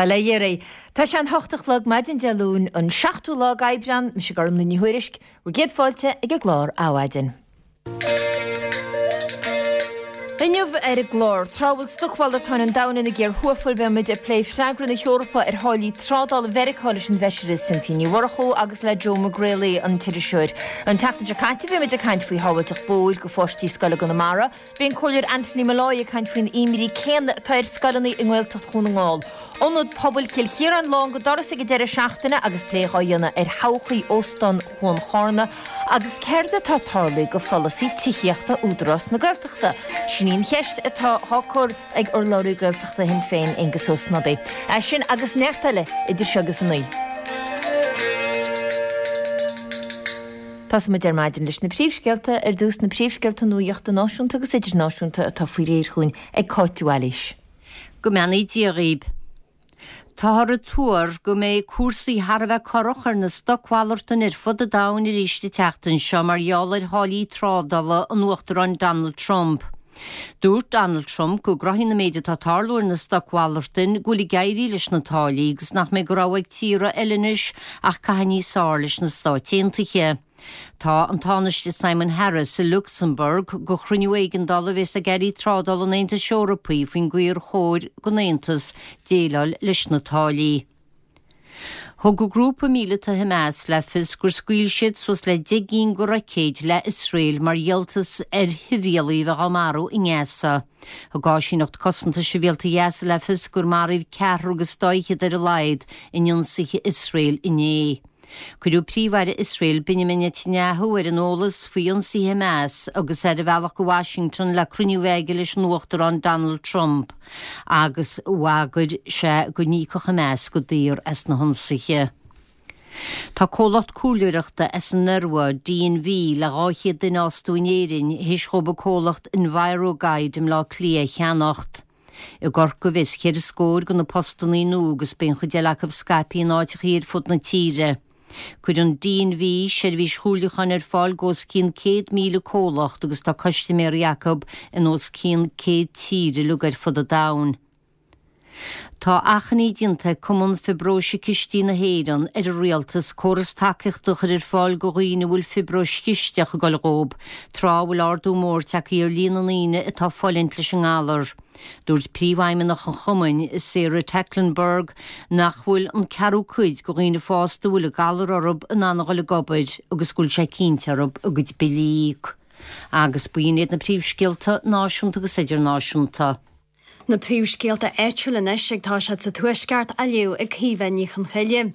Bail ó Dhia oraibh. Tá sé an hocht a chlog maidin Dé Luain, an seachtú lá d'Aibreán, mise Gormlaith Ní Thuairisg, bhur gcéad fáilte ag an gclár Adhmhaidin. Inniu ar an gclár, tráth a bhfuil stocmhalartáin an domhain ina gcíor thuathal, beidh muid ag plé freagra na hEorpa ar tháillí trádála Mheiriceá leis an bhFeisire Cynthia Ní Mhurchú agus le Joe McGrailey, an t-iriseoir. An tseachtain seo caite bhí muid ag caint faoi shábháilteacht bóthair do pháistí scoile i gConamara. Bhí an Comhairleoir Anthony Molloy ag caint faoin imní céanna atá ar scoileanna i nGaeltacht Dhún na nGall. Ionad Pobail Chill Chiaráin lán go doras ag an deireadh seachtaine agus plé dhá dhéanamh ar thodhchaí Óstán Chuan Charna agus céard atá tarlaithe go pholasaí tithíochta Údarás na Gaeltachta? Sin í an cheist atá á cur ag urlabhraí Gaeltachta Shinn Féin, Aengus Ó Snodaigh. É sin agus neart eile idir seo agus a naoi. Tosóidh muid ar maidin leis na príomhscéalta, ar dtús na príomhscéalta nuachta náisiúnta agus idirnáisiúnta atá faoi réir chugainn ag Cáit de Bhailís. Go mbeannaí Dia dhaoib. Táthar ag tuar go mbeidh cúrsaí thar a bheith corrach ar na stocmhalartáin ar fud an domhain arís an tseachtain seo mar gheall ar tháillí trádála an Uachtaráin Donald Trump. Dúirt Donald Trump go gcruthaíonn an méid atá ag tarlú ar na stocmhalartáin go bhfuil ag éirí leis na táillí agus nach mbeidh de rogha ag tíortha eile anois ach caitheamh níos fearr leis na Stáit Aontaithe. Tá an Tánaiste Simon Harris i Lucsamburg do chruinniú éigeandála a bheas ag airí trádála an Aontais Eorpaigh faoin gcaoi ar chóir don Aontas déileáil leis na táillí. Thug an grúpa míleata Hamas le fios gur scaoil siad suas le 10 gcinn de roicéid le Iosrael mar dhíoltas ar shibhialaigh a bheith á marú i nGaza. Thug Áisíneacht Cosanta Sibhialta Ghaza le fios gur maraíodh ceathrar agus dá fhichead ar a laghad in ionsaithe Iosrael inné. Cuireadh Príomh-Aire Iosrael Benjamin Netanyahu ar an eolas faoi ionsaithe Hamas agus é ar a bhealach go Washington le cruinniú a bheith aige leis an Uachtarán Donald Trump agus bhagair sé go n-íocfadh Hamas go daor as na hionsaithe. Tá comhlacht comhairleoireachta as an Iorua, D&V, le 200 duine a fhostú in Éirinn théis dhóibh an comhlacht Enviroguide i mBleá Cliath a cheannacht. I gCorcaigh a bheas cheithre scór de na postannaí nua agus beidh an chuid eile acu scaipthe in áiteachaí ar fud na tíre. Cuireann D&V seirbhís chomhairliúcháin ar fáil go os cionn 100,000 comhlacht agus tá custaiméirí acu in os cionn 100 tír uilig ar fud an domhain. Tá achainí déanta ag Cumann Fiobróise Cistí na hÉireann ar an Rialtas córas tacaíochta a chur ar fáil go dhaoine a bhfuil fiobróis chisteach ag dul dhóib, tráth a bhfuil ardú mór tagtha ar líon na ndaoine atá ag fulaingt leis an ngalar. Dúirt Príomhfheidhmeannach an chumainn, Sarah Tecklenburg, nach bhfuil an ceathrú cuid de dhaoine fásta a bhfuil an galar orthu in ann a dhul ag obair agus go bhfuil sé cinnte orthu a gcuid billí a íoc. Agus b'in iad na príomhscéalta náisiúnta agus idirnáisiúnta. Na príomhscéalta áitiúla anois ag toiseacht sa Tuaisceart á léamh ag Caoimhe Ní Chonchoille.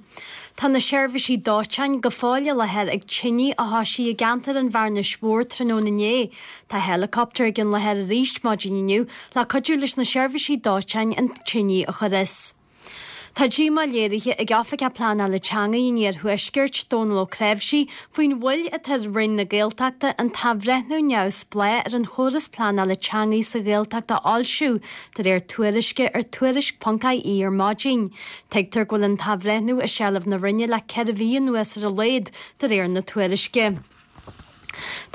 Tá na seirbhísí dóiteáin go fóill i láthair ag tine a thoisigh i gceantar an Bhearnais Mhóir tráthnóna inné. Tá helicopter ag an láthair arís maidin inniu le cuidiú leis na seirbhísí dóiteáin an tine a chur as. Tá díomá léirithe ag Oifigeach Pleanála Teanga an Iarthuaiscirt, Dónal Ó Cnáimhsí, faoin mhoill atá ar Roinn na Gaeltachta an t-athbhreithniú neamhspleách ar an chóras pleanála teanga sa Ghaeltacht a fhoilsiú, de réir tuairisce ar Tuairisc.ie ar maidin. Tuigtear go bhfuil an t-athbhreithniú i seilbh na Roinne le 4 mhí anuas ar a laghad, de réir na tuairisce.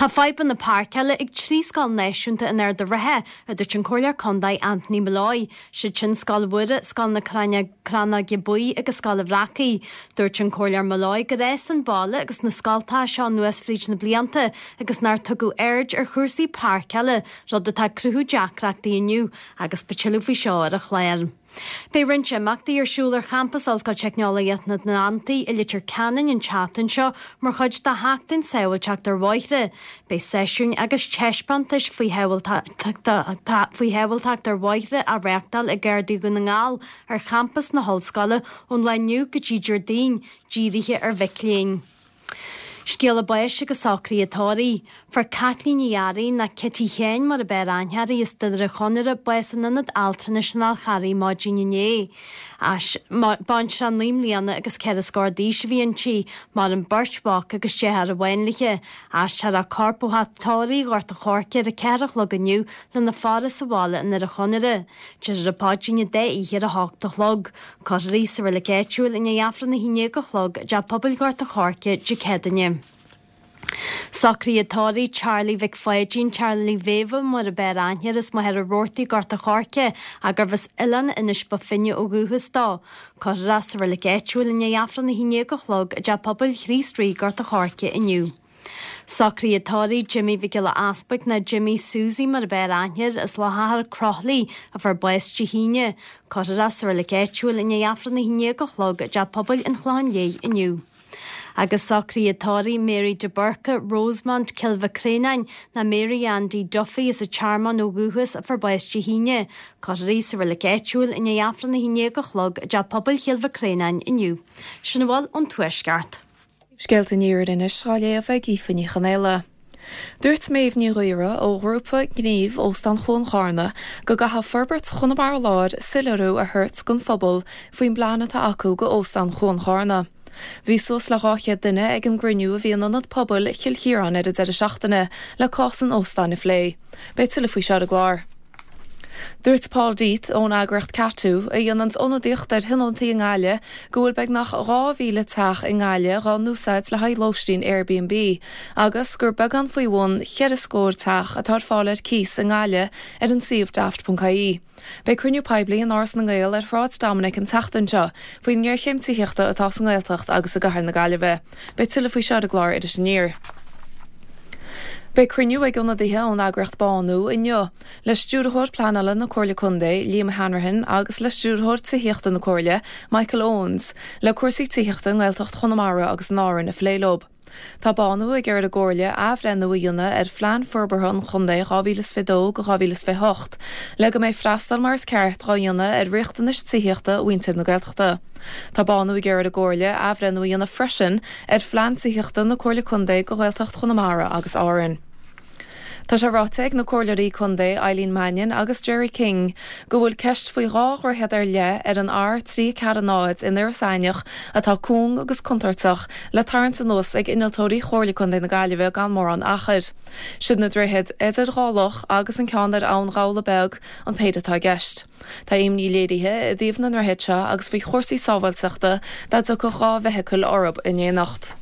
Tá fadhbanna páirceála ag 3 scoil náisiúnta in Ard an Rátha, a dúirt an Comhairleoir Contae Anthony Molloy. Siad sin Scoil Mhuire, Scoil na Crannóige Buí agus Scoil an Bhreacaigh. Dúirt an Comhairleoir Molloy gur fhás an baile agus na scoltacha seo anuas fríd na blianta agus nár tugadh aird ar chúrsaí páirceála, rud atá ag cruthú deacrachtaí inniu agus beidh tuilleadh faoi seo ar an chlár. Beidh roinnt imeachtaí ar siúl ar champas Ollscoil Teicneolaíocht na nAtlantach i Leitir Ceanainn an tseachtain seo mar chuid de Sheachtain Sábháilteacht ar Bhóithre. Beidh seisiúin agus taispeántais faoi shábháilteacht ar bhóithre á reáchtáil ag Gardaí Dhún na nGall ar champas na hollscoile ón lá inniu go dtí Déardaoin, dírithe ar mhic léinn. Scéala báis agus socruithe tórraimh. Fuair Caitlín Ní Fhearraigh, nó Cití Sheáin mar a b'fhearr aithne uirthi, as Doire Chonaire, bás in Ionad Altranais an Fháil Charraigh maidin inné. Baintreach 9 mbliana agus ceithre scór d'aois a bhí inti. Maireann beirt mhac agus deartháir amháin léi. Aistreofar a corp ó theach tórraimh Ghort an Choirce ar a 4 a chlog inniu lena faire sa bhaile i nDoire Chonaire. Déarfar an paidrín an dá oíche ar a hocht a chlog. Cuirfear í sa reilig áitiúil i ndiaidh Aifreann a haon déag a chlog i dTeach Pobail Ghort an Choirce Dé Céadaoine. Socruithe tórraimh Charlie Mhic Pháidín, Charlie Mhéabha mar ab fhearr aithne air, as Machaire Rabhartaigh, Gort a' Choirce, ach gurbh as Oileán Inis Bó Finne ó dhúchas dó. Cuirfear é sa reilig áitiúil i ndiaidh Aifreann 11 a chlog i dTeach Pobail Chríost Rí, Gort a' Choirce inniu. Socruithe tórraimh Jimmy Mhic Giolla Easpaig nó Jimmy Susie mar ab fhearr aithne air, as Loch Achair, Croithlí, a fuair bás Dé hAoine. Cuirfear é sa reilig áitiúil i ndiaidh Aifreann 11 a chlog i dTeach Pobail an Chlocháin Léith inniu. Agus socruithe tórraimh Mary de Búrca, Rosemount, Cill Mhic Créanáin, nó Mary Andy Duffy as an Tearmann ó dhúchas a fuair bás Dé hAoine. Cuirfear í sa reilig áitiúil i ndiaidh Aifreann 11 a chlog i dTeach Pobail Chill Mhic Créanáin inniu. Sin a bhfuil ón Tuaisceart. Scéalta an Iarthair anois á léamh ag Aoife Ní Chonaola. Dúirt Méabh Ní Ghaora ó ghrúpa gnímh Óstán Chuan Charna go gcaithfidh Forbairt Chonamara Láir soiléiriú a thabhairt don phobal faoin bplean atá acu go Óstán Chuan Charna. Bhí suas le 200 duine ag an gcruinniú a bhí in Ionad Pobail Chill Chiaráin ar an deireadh seachtaine le cás an óstáin a phlé. Beidh tuilleadh faoi seo ar an gclár. Dúirt Paul D'Eath ón eagraíocht Cadhto, a dhéananns ionadaíocht ar thionóntaí i nGaillimh, go bhfuil beagnach 2,000 teach i nGaillimh dhá n-úsáid le haghaidh lóistín Airbnb agus gur beagán faoi bhun cheithre scór teach atá ar fáil ar cíos i nGaillimh ar an suíomh daft.ie. Beidh cruinniú poiblí in Áras na nGael ar Shráid Dominic an tseachtain seo faoin ngéarchéim tithíochta atá sa nGaeltacht agus i gcathair na Gaillimhe. Beidh tuilleadh faoi seo ar an gclár Iris Aniar. Beidh cruinniú ag ionadaithe ón eagraíocht Bánú inniu le Stiúrthóir Pleanála na Comhairle Contae, Liam Hanrahan agus le Stiúrthóir Tithíochta na Comhairle, Michael Owens, le cúrsaí tithíochta i nGaeltacht Chonamara agus in Árainn a phlé leo. Tá Bánú ag iarraidh ar an gComhairle athbhreithniú a dhéanamh ar Phlean Forbartha an Chontae 2022-2028 le go mbeidh freastal mar is ceart dhá dhéanamh ar riachtanais tithíochta mhuintir na Gaeltachta. Tá Bánú ag iarraidh ar an gComhairle athbhreithniú a dhéanamh freisin ar Phlean Tithíochta na Comhairle Contae do Ghaeltacht Chonamara agus Árainn. Tá sé ráite ag na Comhairleoirí Contae Eileen Mannion agus Gerry King go bhfuil ceist faoi dhá dhroichead ar leith ar an R340 in Iorras Aithneach atá cúng agus contúirteach le tarraingt anuas ag innealtóirí Chomhairle Contae na Gaillimhe gan mórán achair. Siad na droichid Idir Dhá Loch agus an ceann ar Abhainn Ghabhla Beag an péire atá i gceist. Tá imní léirithe i dtaobh na ndroichead seo agus faoi chúrsaí sábháilteachta dá dtiocfadh 2 bhfeithicil orthu in éineacht.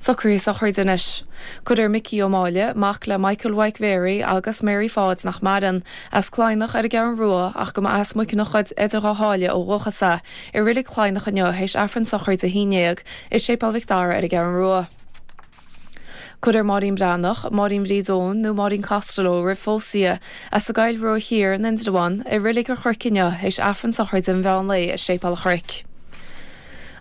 Socruithe sochraide anois. Cuirfear Micí Ó Máille, mac le Michael Mhaidhc Mhéaraí agus Mary Pháid nach maireann, as Cladhnach ar an gCeathrú Rua ach go mba as Muiceanach Idir Dhá Sháile ó dhúchas é, i Reilig Chladhnach inniu théis Aifreann sochraide 11 i Séipéal Mhic Dara ar an gCeathrú Rua. Cuirfear Máirín Breathnach, Máirín Bhríd Eoin nó Máirín Costello roimh phósadh di, as an gCoill Rua Thiar in Indreabhán, i Reilig an Chnoic inniu théis Aifreann sochraide an mheán lae i Séipéal an Chnoic.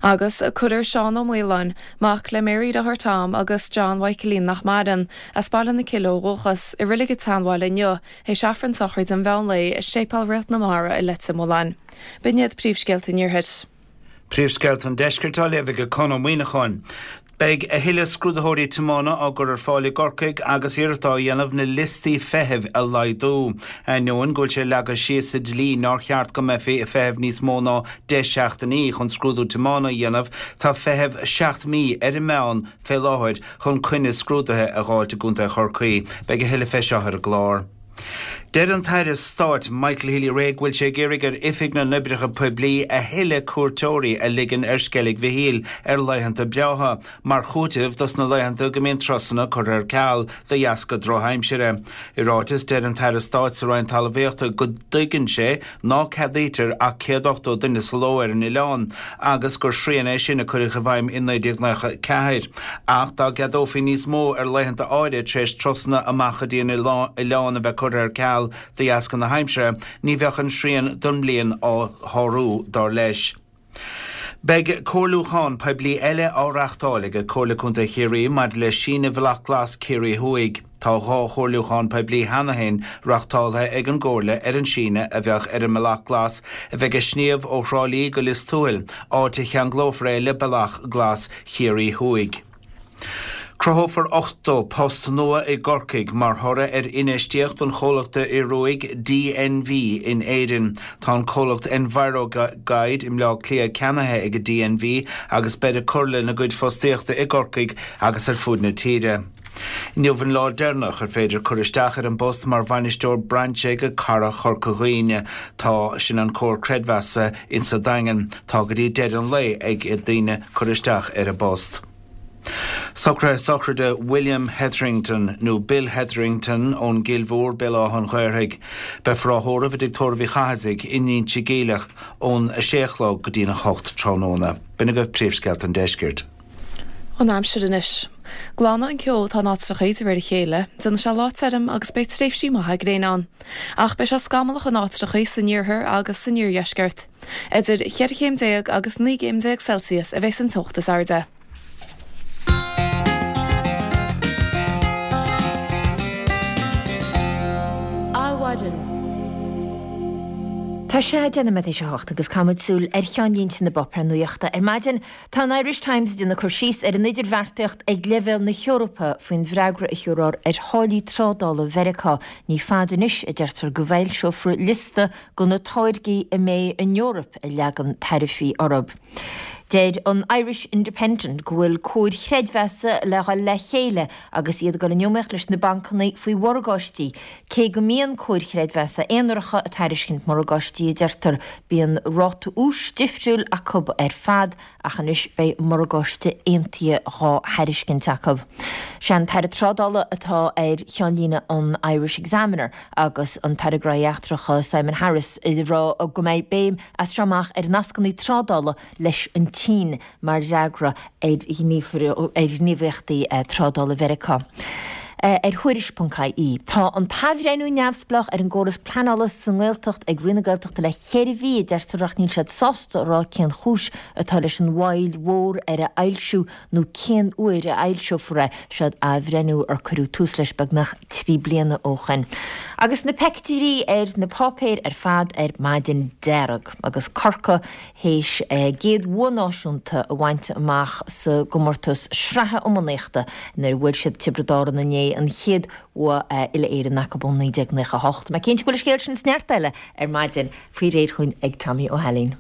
Agus cuirfear Seán Ó Maoláin, mac le Mary Deartháir Tom agus John Mhichaelín nach maireann, as Baile na Cille ó dhúchas, i Reilig an tSeanbhaile inniu théis Aifreann sochraide an mheán lae i Séipéal Réalt na Mara i Leitir Mealláin. B'in iad príomhscéalta an Iarthair. Príomhscéalta an Deiscirt á léamh ag Conn Ó Muíneacháin. Beidh a thuilleadh scrúdaitheoirí tiomána á gcur ar fáil i gCorcaigh agus iarracht á dhéanamh na liostaí feithimh a laghdú. Ainneoin go bhfuil sé leagtha síos sa dlí nár cheart go mbeifí ag feitheamh níos mó ná 10 seachtainí chun scrúdú tiomána a dhéanamh, tá feitheamh 7 mí ar an meán fé láthair chun coinne scrúdaithe a dh'fháilt i gContae Chorcaí. Beidh a thuilleadh fé seo ar an gclár. Deir an tAire Stáit Michael Healy-Rae go bhfuil sé ag iarraidh ar Oifig na nOibreacha Poiblí a thuilleadh cuairteoirí a ligean ar Sceilg Mhichíl ar laethanta breátha, mar chúiteamh dos na laethanta go mbíonn turasanna curtha ar ceal de dheasca drochaimsire. I ráiteas, deir an tAire Stáit sa Roinn Talmhaíochta go dtuigeann sé ná ceadaítear ach 180 duine sa ló ar an oileán agus gur srian é sin a cuireadh i bhfeidhm i 1994. Ach dá gceadófaí níos mó ar laethanta áirithe tar éis turasanna amach go dtí an oileán a bheith curtha ar ceal de dheasca na haimsire, ní bheadh an srian don mbliain á shárú, dar leis. Beidh comhairliúchán poiblí eile á reáchtáil ag Comhairle Contae Chiarraí maidir le síneadh Bhealach Glas Ciarraí Thuaidh. Tá 2 chomhairliúchán poiblí cheana féin reáchtáltha ag an gComhairle ar an síneadh a bheadh ar an mBealach Glas a bheidh ag sníomh ó Thrá Lí go Lios Tuathail, áit a cheanglófar é le Bealach Glas Chiarraí Thuaidh. Cruthófar 80 post nua i gCorcaigh mar thoradh ar infheistíocht an chomhlachta Ioruaigh DNV in Éirinn. Tá an comhlacht Enviroguide i mBleá Cliath ceannaithe ag DNV agus beid ag cur lena gcuid fostaíochta i gCorcaigh agus ar fuaid na tíre. Inniu an lá deireanach ar féidir cur isteach ar an bpost mar bhainisteoir brainse ag Cara Chorca Dhuibhne. Tá, sin an comhar creidmheasa insa Daingean. Tá go dtí deireadh an lae ag daoine cur isteach ar an bpost. Socruithe sochraide William Hetherington, nó Bill Hetherington, ón gCill Mhór, Béal Átha an Ghaorthaidh. Beifear á thórramh i dTigh Tórraimh Uí Chathasaigh in Inse Geimhleach ón 6 a chlog go dtí'n 8 tráthnóna. B'in agaibh príomhscéalta an deiscirt. An aimsir anois. Glanfaidh an ceo atá in áiteachaí de réir a chéile, déanfaidh sé lá tirim agus beidh tréimhsí maithe gréine ann. Ach beidh sé scamallach in áiteachaí san iarthar agus san iardheisceart. Idir cheithre chéim déag agus 19 gcéim Celsius a bheas an teocht is airde. Adhmhaidin. Tá sé 10 nóiméad théis a hocht agus caithfimid súil ar cheannlínte na bpáipéar nuachta ar maidin. Tá an Irish Times ag déanamh cur síos ar an idirbheartaíocht ag leibhéal na hEorpa faoin bhfreagra a thiúrfar ar tháillí trádála Mheiriceá. Ní fada anois, a deirtear, go bhfoilseofar liosta de na táirgí a mbeidh an Eoraip ag leagan taraifí orthu. Deir an Irish Independent go bhfuil comhair chreidmheasa le dhul le chéile agus iad ag dul in iomaíocht leis na bancanna faoi mhorgáistí. Cé go mbíonn comhair chreidmheasa aonaracha ag tairiscint morgáistí, a deirtear, bíonn ráta úis difriúil acu ar fad ach anois beidh morgáiste aontaithe dhá thairiscint acu. Sé an tAire Trádála atá ar cheannlíne an Irish Examiner agus an tAire Gnóthaí Eachtracha Simon Harris ag rá go mbeidh béim as seo amach ar nascanna trádála leis an tSín mar fhreagra ar ghníomhaíochtaí trádála Mheiriceá. Ar Thuairisc.ie, tá an t-athbhreithniú neamhspleách ar an gcóras pleanála sa nGaeltacht ag Roinn na Gaeltachta le ceithre mhí, a deirtear, ach níl siad sásta a rá cén chúis atá leis an mhoill mhór ar a fhoilsiú nó cén uair a fhoilseofar é. Seod athbhreithniú ar cuireadh tús leis beagnach 3 bliana ó shoin. Agus na peictiúirí ar na páipéir ar fad ar maidin dearg agus Corcaigh théis a gcéad bhua náisiúnta a bhaint amach sa gcomórtas sraithe iománaíochta nuair a bhuail siad Tiobraid Árann inné, an chéad bhua uile-Éireann acu ó 1998. Mé cinnte go bhfuil an scéal sin is neart eile ar maidin faoi réir chugainn ag Tommy Ó hAilín.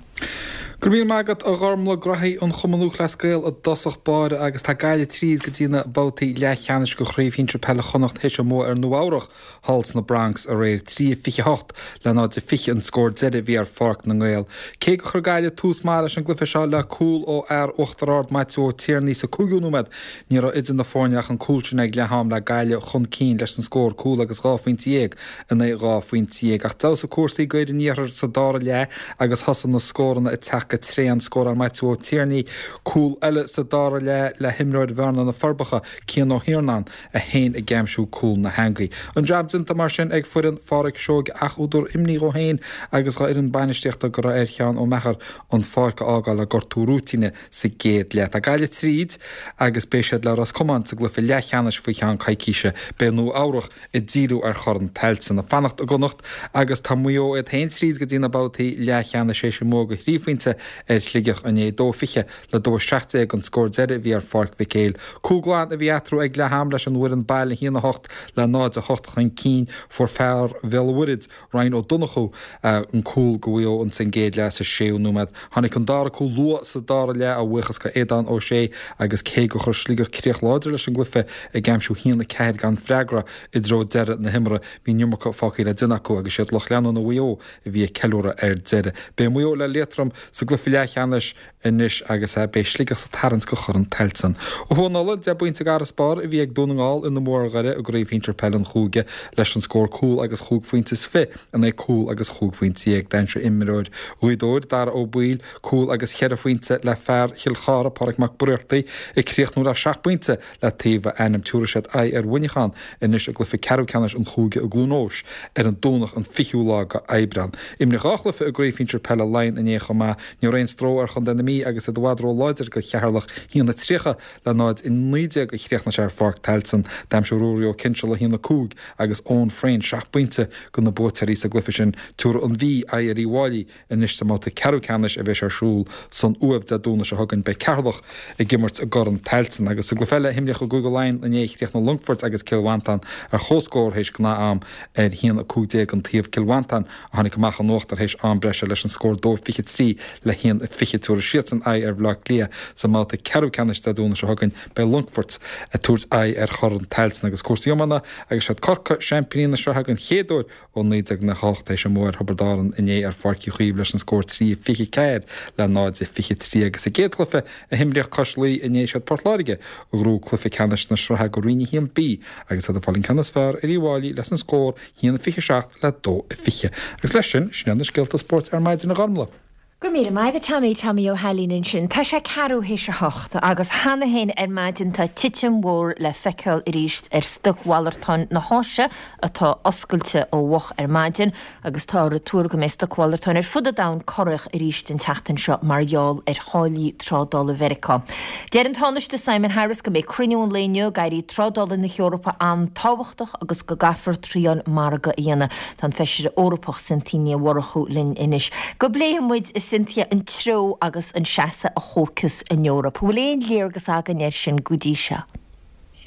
Go raibh míle maith agat a Ghormlaith, Graithí an Chumann Lúthchleas Gael i dtosach báire agus tá Gaillimh tríd go dtí na babhtaí leathcheannais de Chraobh Shinsir Peile Chonnacht théis a mbua ar Nua Eabhrach thall sna Bronx aréir. 3-28 le 0-20 an scór deiridh a bhí ar Pháirc na nGael. Cé gur chuir Gaillimh tús maith leis an gcluiche seo le cúl ó fhear Uachtar Ard Maitiú Ó Tiarnaigh sa cúigiú nóiméad ní raibh idir na foirne ach an cúl sin ag leath am le Gaillimh chun cinn leis an scór cúl agus dhá phointe dhéag in aghaidh 12 phointe. Ach d'fheabhsaigh cúrsaí d'fhoireann an iarthair sa dara leath agus thosaigh na scóranna ag teacht go tréan. Scóráil Maitiú Ó Tiarnaigh cúl eile sa dara leath le himreoir Bhearna na Forbacha, Cian Ó hIarnáin, é féin ag aimsiú cúl na heangaí. An jab déanta mar sin ag foireann Pháraic Seoige ach údar imní dhó féin agus dhá fhoireann bainistíochta go raibh ar Sheán Ó Meachair an pháirc a fhágáil le gortú rúitíne sa gcéad leath. Tá Gaillimh tríd agus beidh siad le Ros Comáin sa gcluiche leathcheannais faoi cheann coicíse. Beidh Nua Eabhrach ag díriú ar Chorn Tailteann. Ag fanacht i gConnacht agus tá Maigh Eo iad féin tríd go dtí na babhtaí leathcheannais théis a mbua de thrí phointe ar Shligeach inné. 2-20 le 2-17 an scór deiridh a bhí ar Pháirc Mhic Éil. Cúl glan a bhí eatarthu ag leath am leis an bhfoireann baile 1-8 le 0-8 chun cinn. Fuair fear Bhéal an Mhuirthead, Ryan Ó Donnchú an cúl do Mhaigh Eo ins an gcéad leath sa séú nóiméad. Tháinig an dara cúl luath sa dara leath a bhuíochas go Aodán Ó Sé agus cé gur chuir Sligeach críoch láidir leis an gcluiche ag aimsiú 1-4 gan freagra i dtreo deireadh na himeartha bhí an iomarca fágtha le déanamh acu agus siad lucht leanúna Mhaigh Eo a bhí ag ceiliúradh ar deireadh. Beidh Maigh Eo le Liatroim sa gcluiche leathcheannais anois agus beidh Sligeach sa tarraingt go Chorn Tailteann. Ó thuaidh in Ulaidh, 10 bpointe d'fharasbarr a bhí ag Dún na nGall ina mbua ar Dhoire i gCraobh Shinsir Peile an Chúige leis an scór cúl agus chúig phointe is fi in aghaidh cúl agus chúig phointe dhéag. D'aimsigh imreoir Ghaoth Dobhair, Dara Ó Baoill, cúl agus cheithre phointe le fear Chill Chartha, Pádraig Mac Briartaigh, ag críochnú le seacht bpointe le taobh a ainm. Tabharfaidh siad aghaidh ar Mhuineachán anois i gcluiche ceathrú ceannais an chúige i gCluain Eois ar an Domhnach an 20ú lá go Aibreán. Imríodh dhá chluiche i gCraobh Shinsir Peile Laighean inné chomh maith. Ní raibh aon stró ar chontae na Mí agus iad i bhfad ró-láidir go Cheatharlach, 1-30 le 0-19 a chríochnaigh sé ar Pháirc Tailteann. D'aimsigh Ruairí Ó Cinnseala 1-5 agus Eoin Frayne seacht bpointe go na buaiteoirí sa gcluiche sin. Tabharfaidh an Mhí aghaidh ar Uíbh Fhailí anois sa mbabhta ceathrú ceannais a bheas ar siúl san Uaimh Dé Domhnaigh seo chugainn. Beidh Ceatharlach ag imirt i gCorn Tailteann. Agus sa gcluiche eile a himríodh i gCúige Laighean inné chríochnaigh Longfort agus Cill Mhantáin ar chomhscór théis gnáth-am ar 1-15 an taobh. Cill Mhantáin a tháinig amach in uachtar théis am breise leis an scór 2-23. le 1-20. Tabharfaidh siadsan aghaidh ar Bhaile Átha Cliath sa mbabhta ceathrú ceannais Dé Domhnaigh seo chugainn. Beidh Longfort ag tabhairt aghaidh ar Chorn Tailteann agus cúrsaí iomána agus siad Corcaigh, seaimpíní na sraithe den chéad uair ó 1998, tar éis a mbua ar Thiobraid Árann inné ar Pháirc Uí Chaoimh leis an scór 3-24 le 0-23 agus sa gcéad chluiche a himríodh cois Laoi inné siad Port Láirge a ghnóthaigh cluiche ceannais na sraithe do Roinn 1B agus iad ag fáil an ceann is fearr ar Uíbh Fhailí leis an scór 1-27 le 2-20. Agus leis sin, sin iad na scéalta spóirt ar maidin a Ghormlaith. Go raibh míle maith agat Tommy, Tommy Ó hAilín ansin. Tá sé ceathrú théis a hocht agus cheana féin ar maidin tá titim mhór le feiceáil arís ar stocmhalartáin na hÁise atá oscailte ó mhoch ar maidin agus táthar ag tuar go mbeidh stocmhalartáin ar fud an domhain corrach arís an tseachtain seo mar gheall ar tháillí trádála Mheiriceá. Deir an Tánaiste Simon Harris go mbeidh cruinniú an lae inniu ag airí trádála na hEorpa an-tábhachtach agus go gcaithfear triail margaidh a dhéanamh. Tá an Feisire Eorpach Cynthia Ní Mhurchú linn anois go bpléifidh muid, a Cynthia, an treo agus an seasamh a thógfas an Eoraip. An bhfuil aon léargas againn air sin go dtí seo?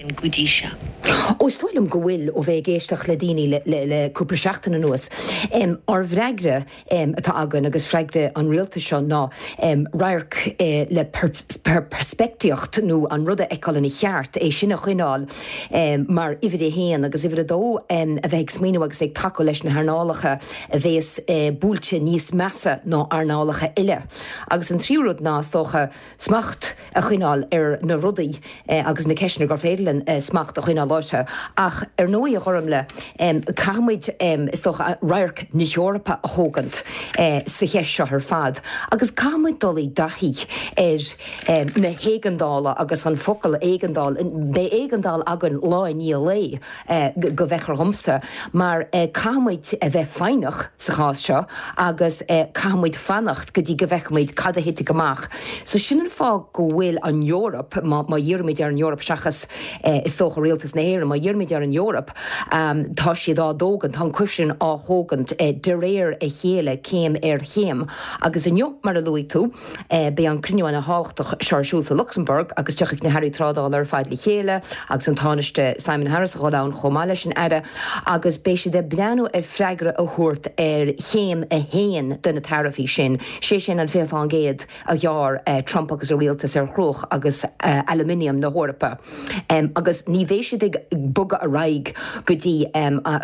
sin go dtí seo. Ó, is dóigh liom go bhfuil, ó bheith ag éisteacht le daoine le cúpla seachtain anuas. Ár bhfreagra atá againn agus freagra an rialtais seo ná radharc le peirspictíocht nó an rud a fheiceáil ina cheart, é sin a choinneáil mar uimhir a haon agus uimhir a dó a bheith ag smaoineamh agus ag tacú leis na hearnálacha a bhéas buailte níos measa ná earnálacha eile. Agus an tríú rud ná, is dócha, smacht a choinneáil ar na rudaí agus na ceisteanna gur féidir linn smacht a choinneáil orthu. Ach ar ndóigh, a Ghormlaith, caithfimid, is dócha, radharc na hEorpa a thógaint sa cheist seo ar fad agus caithfimid dul i dtaithí ar na héigeandála agus an focal éigeandáil, beidh éigeandáil againn lá i ndiaidh lae, go bhfeictear dhomsa, mar caithfimid a bheith foighneach sa chás seo agus caithfimid fanacht go dtí go bhfeicfimid cad a thitfidh amach. So sin an fáth go bhfuil an Eoraip, má dhírímid ar an Eoraip seachas is dócha Rialtas na hÉireann, má dhírímid ar an Eoraip, tá siad á dtógaint, tá an cuisneán á thógaint de réir a chéile, céim ar chéim. Agus inniu, mar a luaigh tú, Beidh an cruinniú ana-thábhachtach seo ar siúl sa Lucsamburg agus tiocfaidh na hairí trádála ar fad le chéile agus an Tánaiste Simon Harris a dhul ann chomh maith leis an Aire agus beidh siad ag breathnú ar freagra a thabhairt ar chéim a haon de na taraifí sin, sé sin an 20% a ghearr Trump agus a rialtas ar chruach agus aluminium na hEorpa. Agus ní bheidh siad ag bogadh ar aghaidh go dtí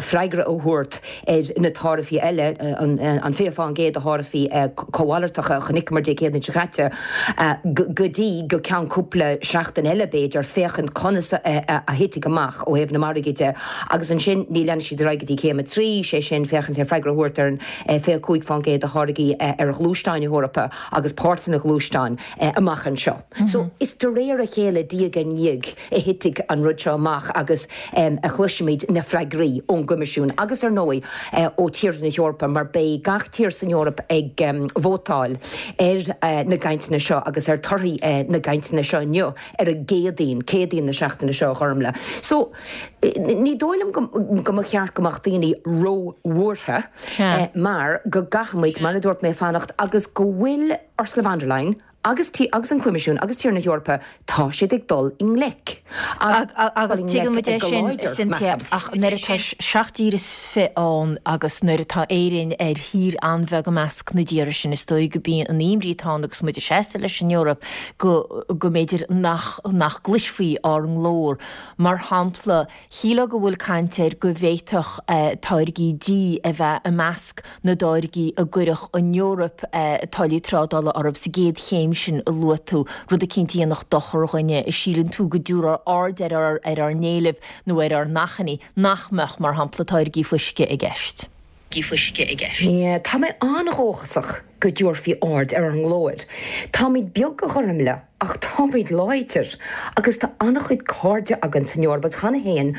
freagra a thabhairt ar na taraifí eile, an 20% de tharaifí cómhalartacha a chonaiceamar Dé Céadaoin seo caite, go dtí go ceann cúpla seachtain eile, b'fhéidir, féachaint conas a thitfidh amach ó thaobh na margaí de. Agus ansin ní leanfaidh siad ar aghaidh go dtí céim 3, sé sin, féachaint ar freagra a thabhairt ar an 25% de tháirgí ar ghluaisteáin na hEorpa agus páirteanna gluaisteáin amach anseo. So, is de réir a chéile, diaidh ar ndiaidh, a thitfidh an rud seo amach agus a chloisfimid na freagraí ón gCoimisiún agus, ar ndóigh, ó tíortha na hEorpa mar beidh gach tír san Eoraip ag vótáil ar na gcainteanna seo agus ar torthaí na gcainteanna seo inniu ar an gCéadaoin, Céadaoin na seachtaine seo, a Ghormlaith. So, ní dóigh liom go mba cheart go mbeadh daoine ró-bhuartha mar go gcaithfimid, mar a dúirt mé, fanacht agus go bhfuil Ursula von der Leyen, Agus agus an Coimisiún agus tíortha na hEorpa, tá siad ag dul i ngleic. Agus tuigeann muid é sin, Cynthia, ach nuair atá seacht dtír is fi ann agus nuair atá Éirinn ar thír an-bheag i measc na dtíortha sin, is dóigh go b'í an imní atá ann agus muid ag seasamh leis an Eoraip go go mb'fhéidir nach nach gcloisfí ár nglór. Mar shampla, Shílfeá go bhfuil caint air go bhféadfadh táirgí dí a bheith i measc na dtáirgí a gcuirfeadh an Eoraip táillí trádála orthu sa gcéad chéim sin a luaigh tú, rud eicínt a dhéanfadh dochar dhúinne. Síleann tú go dtabharfar aird ar ár n-éilimh nó ar ár n-achainí nach mbeadh, mar shampla, táirgí fuisce i gceist? Tá mé an-dhóchasach go dtabharfaí aird ar ár nglór. Táimid beag, a Ghormlaith, ach táimid láidir agus tá an-chuid cairde againn san Eoraip agus cheana féin,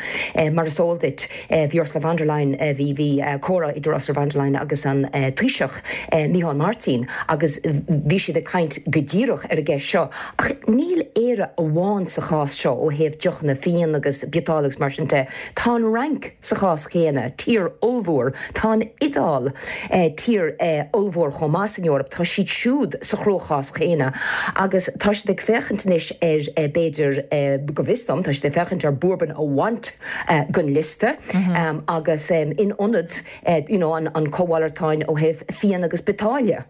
mar is eol duit, bhí Ursula von der Leyen, bhí, bhí comhrá idir Ursula von der Leyen agus an Taoiseach, Micheál Martin agus bhí siad ag caint go díreach ar an gceist seo. Ach níl Éire amháin sa chás seo ó thaobh deochanna fíon agus biotáille agus mar sin de. Tá an Fhrainc sa chás chéanna, tír ollmhór. Tá an Iodáil, tír ollmhór chomh maith san Eoraip, tá siad siúd sa chruachás céanna agus tá siad ag féachaint anois ar, b'fhéidir, go bhfios dom, tá siad ag féachaint ar bourbon a bhaint den liosta agus in ionad you know an cómhalartáin ó thaobh fíon agus biotáille.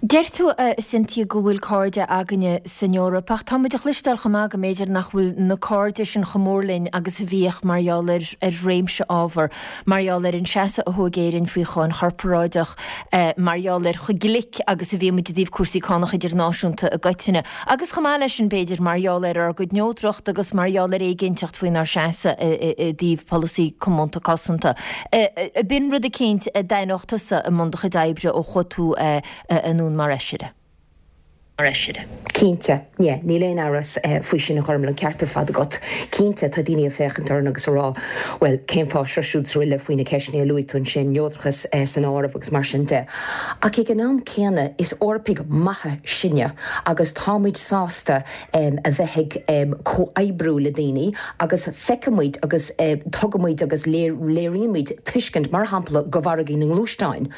Deir tú, a Cynthia, go bhfuil cairde againne san Eoraip, ach tá muid a chloisteáil chomh maith go mb'fhéidir nach bhfuil na cairde sin chomh mór linn agus a bhíodh mar gheall ar réimse ábhar, mar gheall ar an seasamh a thóg Éirinn faoi cháin chorparáideach, mar gheall ar chomh glic agus a bhí muid i dtaobh cúrsaí cánach idirnáisiúnta i gcoitinne, agus chomh maith leis sin, b'fhéidir, mar gheall ar ár gcuid neodracht agus mar gheall ar éiginnteacht faoinár seasamh i dtaobh polasaí comónta cosanta. B'in rud eicínt a d'aithneodh tusa i mbun do chuid oibre ó chuaigh tú anonn mar fheisire. Mar fheisire. Cinnte, yeah, níl aon amhras faoi sin a Ghormlaith, an ceart ar fad agat. Cinnte, tá daoine ag féachaint orainn agus ag rá, bhuel, cén fáth seo siúd 's aroile faoi na ceisteanna a luaigh tú ansin, neodrachas san áireamh agus mar sin de. Ach ag an am céanna, is Eorpaigh maithe sinne agus tá muid sásta a bheith ag comhoibriú le daoine agus feicimid agus tugaimid agus léirímid tuiscint, mar shampla, do mhargaí na ngluaisteáin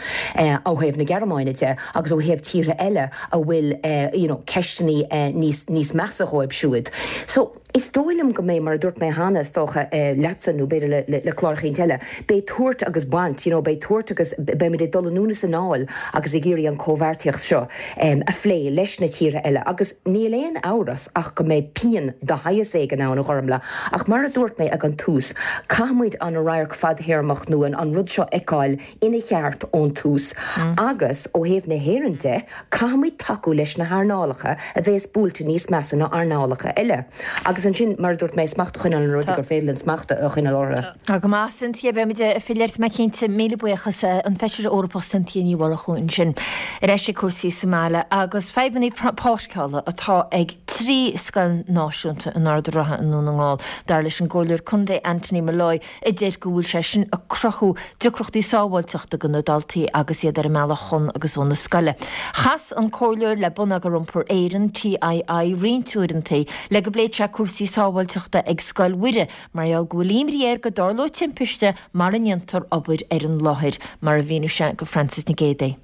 ó thaobh na Gearmáine de agus ó thaobh tíortha eile a bhfuil you know ceisteanna níos níos measa dhóibh siúd. So, is dóigh liom go mbeidh, mar a dúirt mé cheana, is dócha, leatsa nó b'fhéidir le le clár eicínt eile, beidh tabhairt agus baint, you know, beidh tabhairt agus beimid ag dul anonn is anall agus ag iarraidh an chomhbheartaíocht seo a phlé leis na tíortha eile agus níl aon amhras ach go mbeidh pian de shaghas éigin ann, a Ghormlaith, ach mar a dúirt mé ag an tús, caithfimid an radharc fadthéarmach nó an rud seo a fheiceáil ina cheart ón tús agus ó thaobh na hÉireann de, caithfimid tacú leis na hearnálacha a bheas buailte níos measa ná earnálacha eile. Agus ansin, mar a dúirt mé, smacht a choinneáil ar na rudaí gur féidir linn smacht a choinneáil orthu. Tá go maith, Cynthia. Beimid ag filleadh ort mé cinnte. Míle buíochas, an Feisire Eorpach Cynthia Ní Mhurchú ansin. Ar ais ag cúrsaí sa mbaile agus fadhbanna páirceála atá ag 3 scoil náisiúnta in Ard an Rátha i nDún na nGall, dar leis an gComhairleoir Contae Anthony Molloy, a deir go bhfuil sé sin ag cruthú deacrachtaí sábháilteachta do na daltaí agus iad ar a mbealach chun agus ó na scoile. Chas an Comhairleoir le Bonneagar Iompair Éireann, TII, roinnt uaireanta le go bpléifeadh sé cúrsaí sábháilteachta ag Scoil Mhuire mar gheall go bhfuil imní air go dtarlódh timpiste mara ndéantar obair ar an láthair, mar a mhínigh sé do Frances Nic Géadaigh.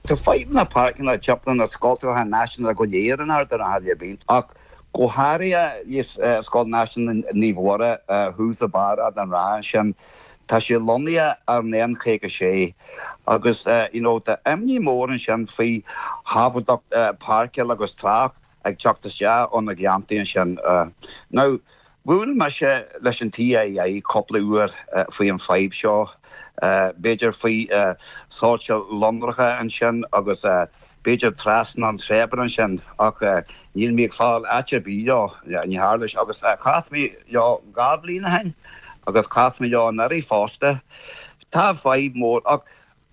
Tá fadhbanna páirceanna timpeall na scoltacha náisiúnta go léir in Ard an Rátha le blianta, ach go háirithe Scoil Náisiúnta Naomh Mhuire thuas i barr Ard an Rátha ansin. Tá sé lonnaithe ar an N56 agus you know tá imní mór ansin faoi shábháilteacht páirceáil agus trácht ag teacht isteach ó na gleanntaí ansin. Now, bhuail mise leis an TII cúpla uair faoi an fadhb seo, b'fhéidir faoi soilse lonracha ansin agus b'fhéidir trasna an tSeabhra ansin ach níl mé ag fáil áit ar bith leo, ní tharla sé. Agus chas mé leo 2 bhliain ó shin agus chas mé leo anuraidh fosta. Tá fadhb mór ach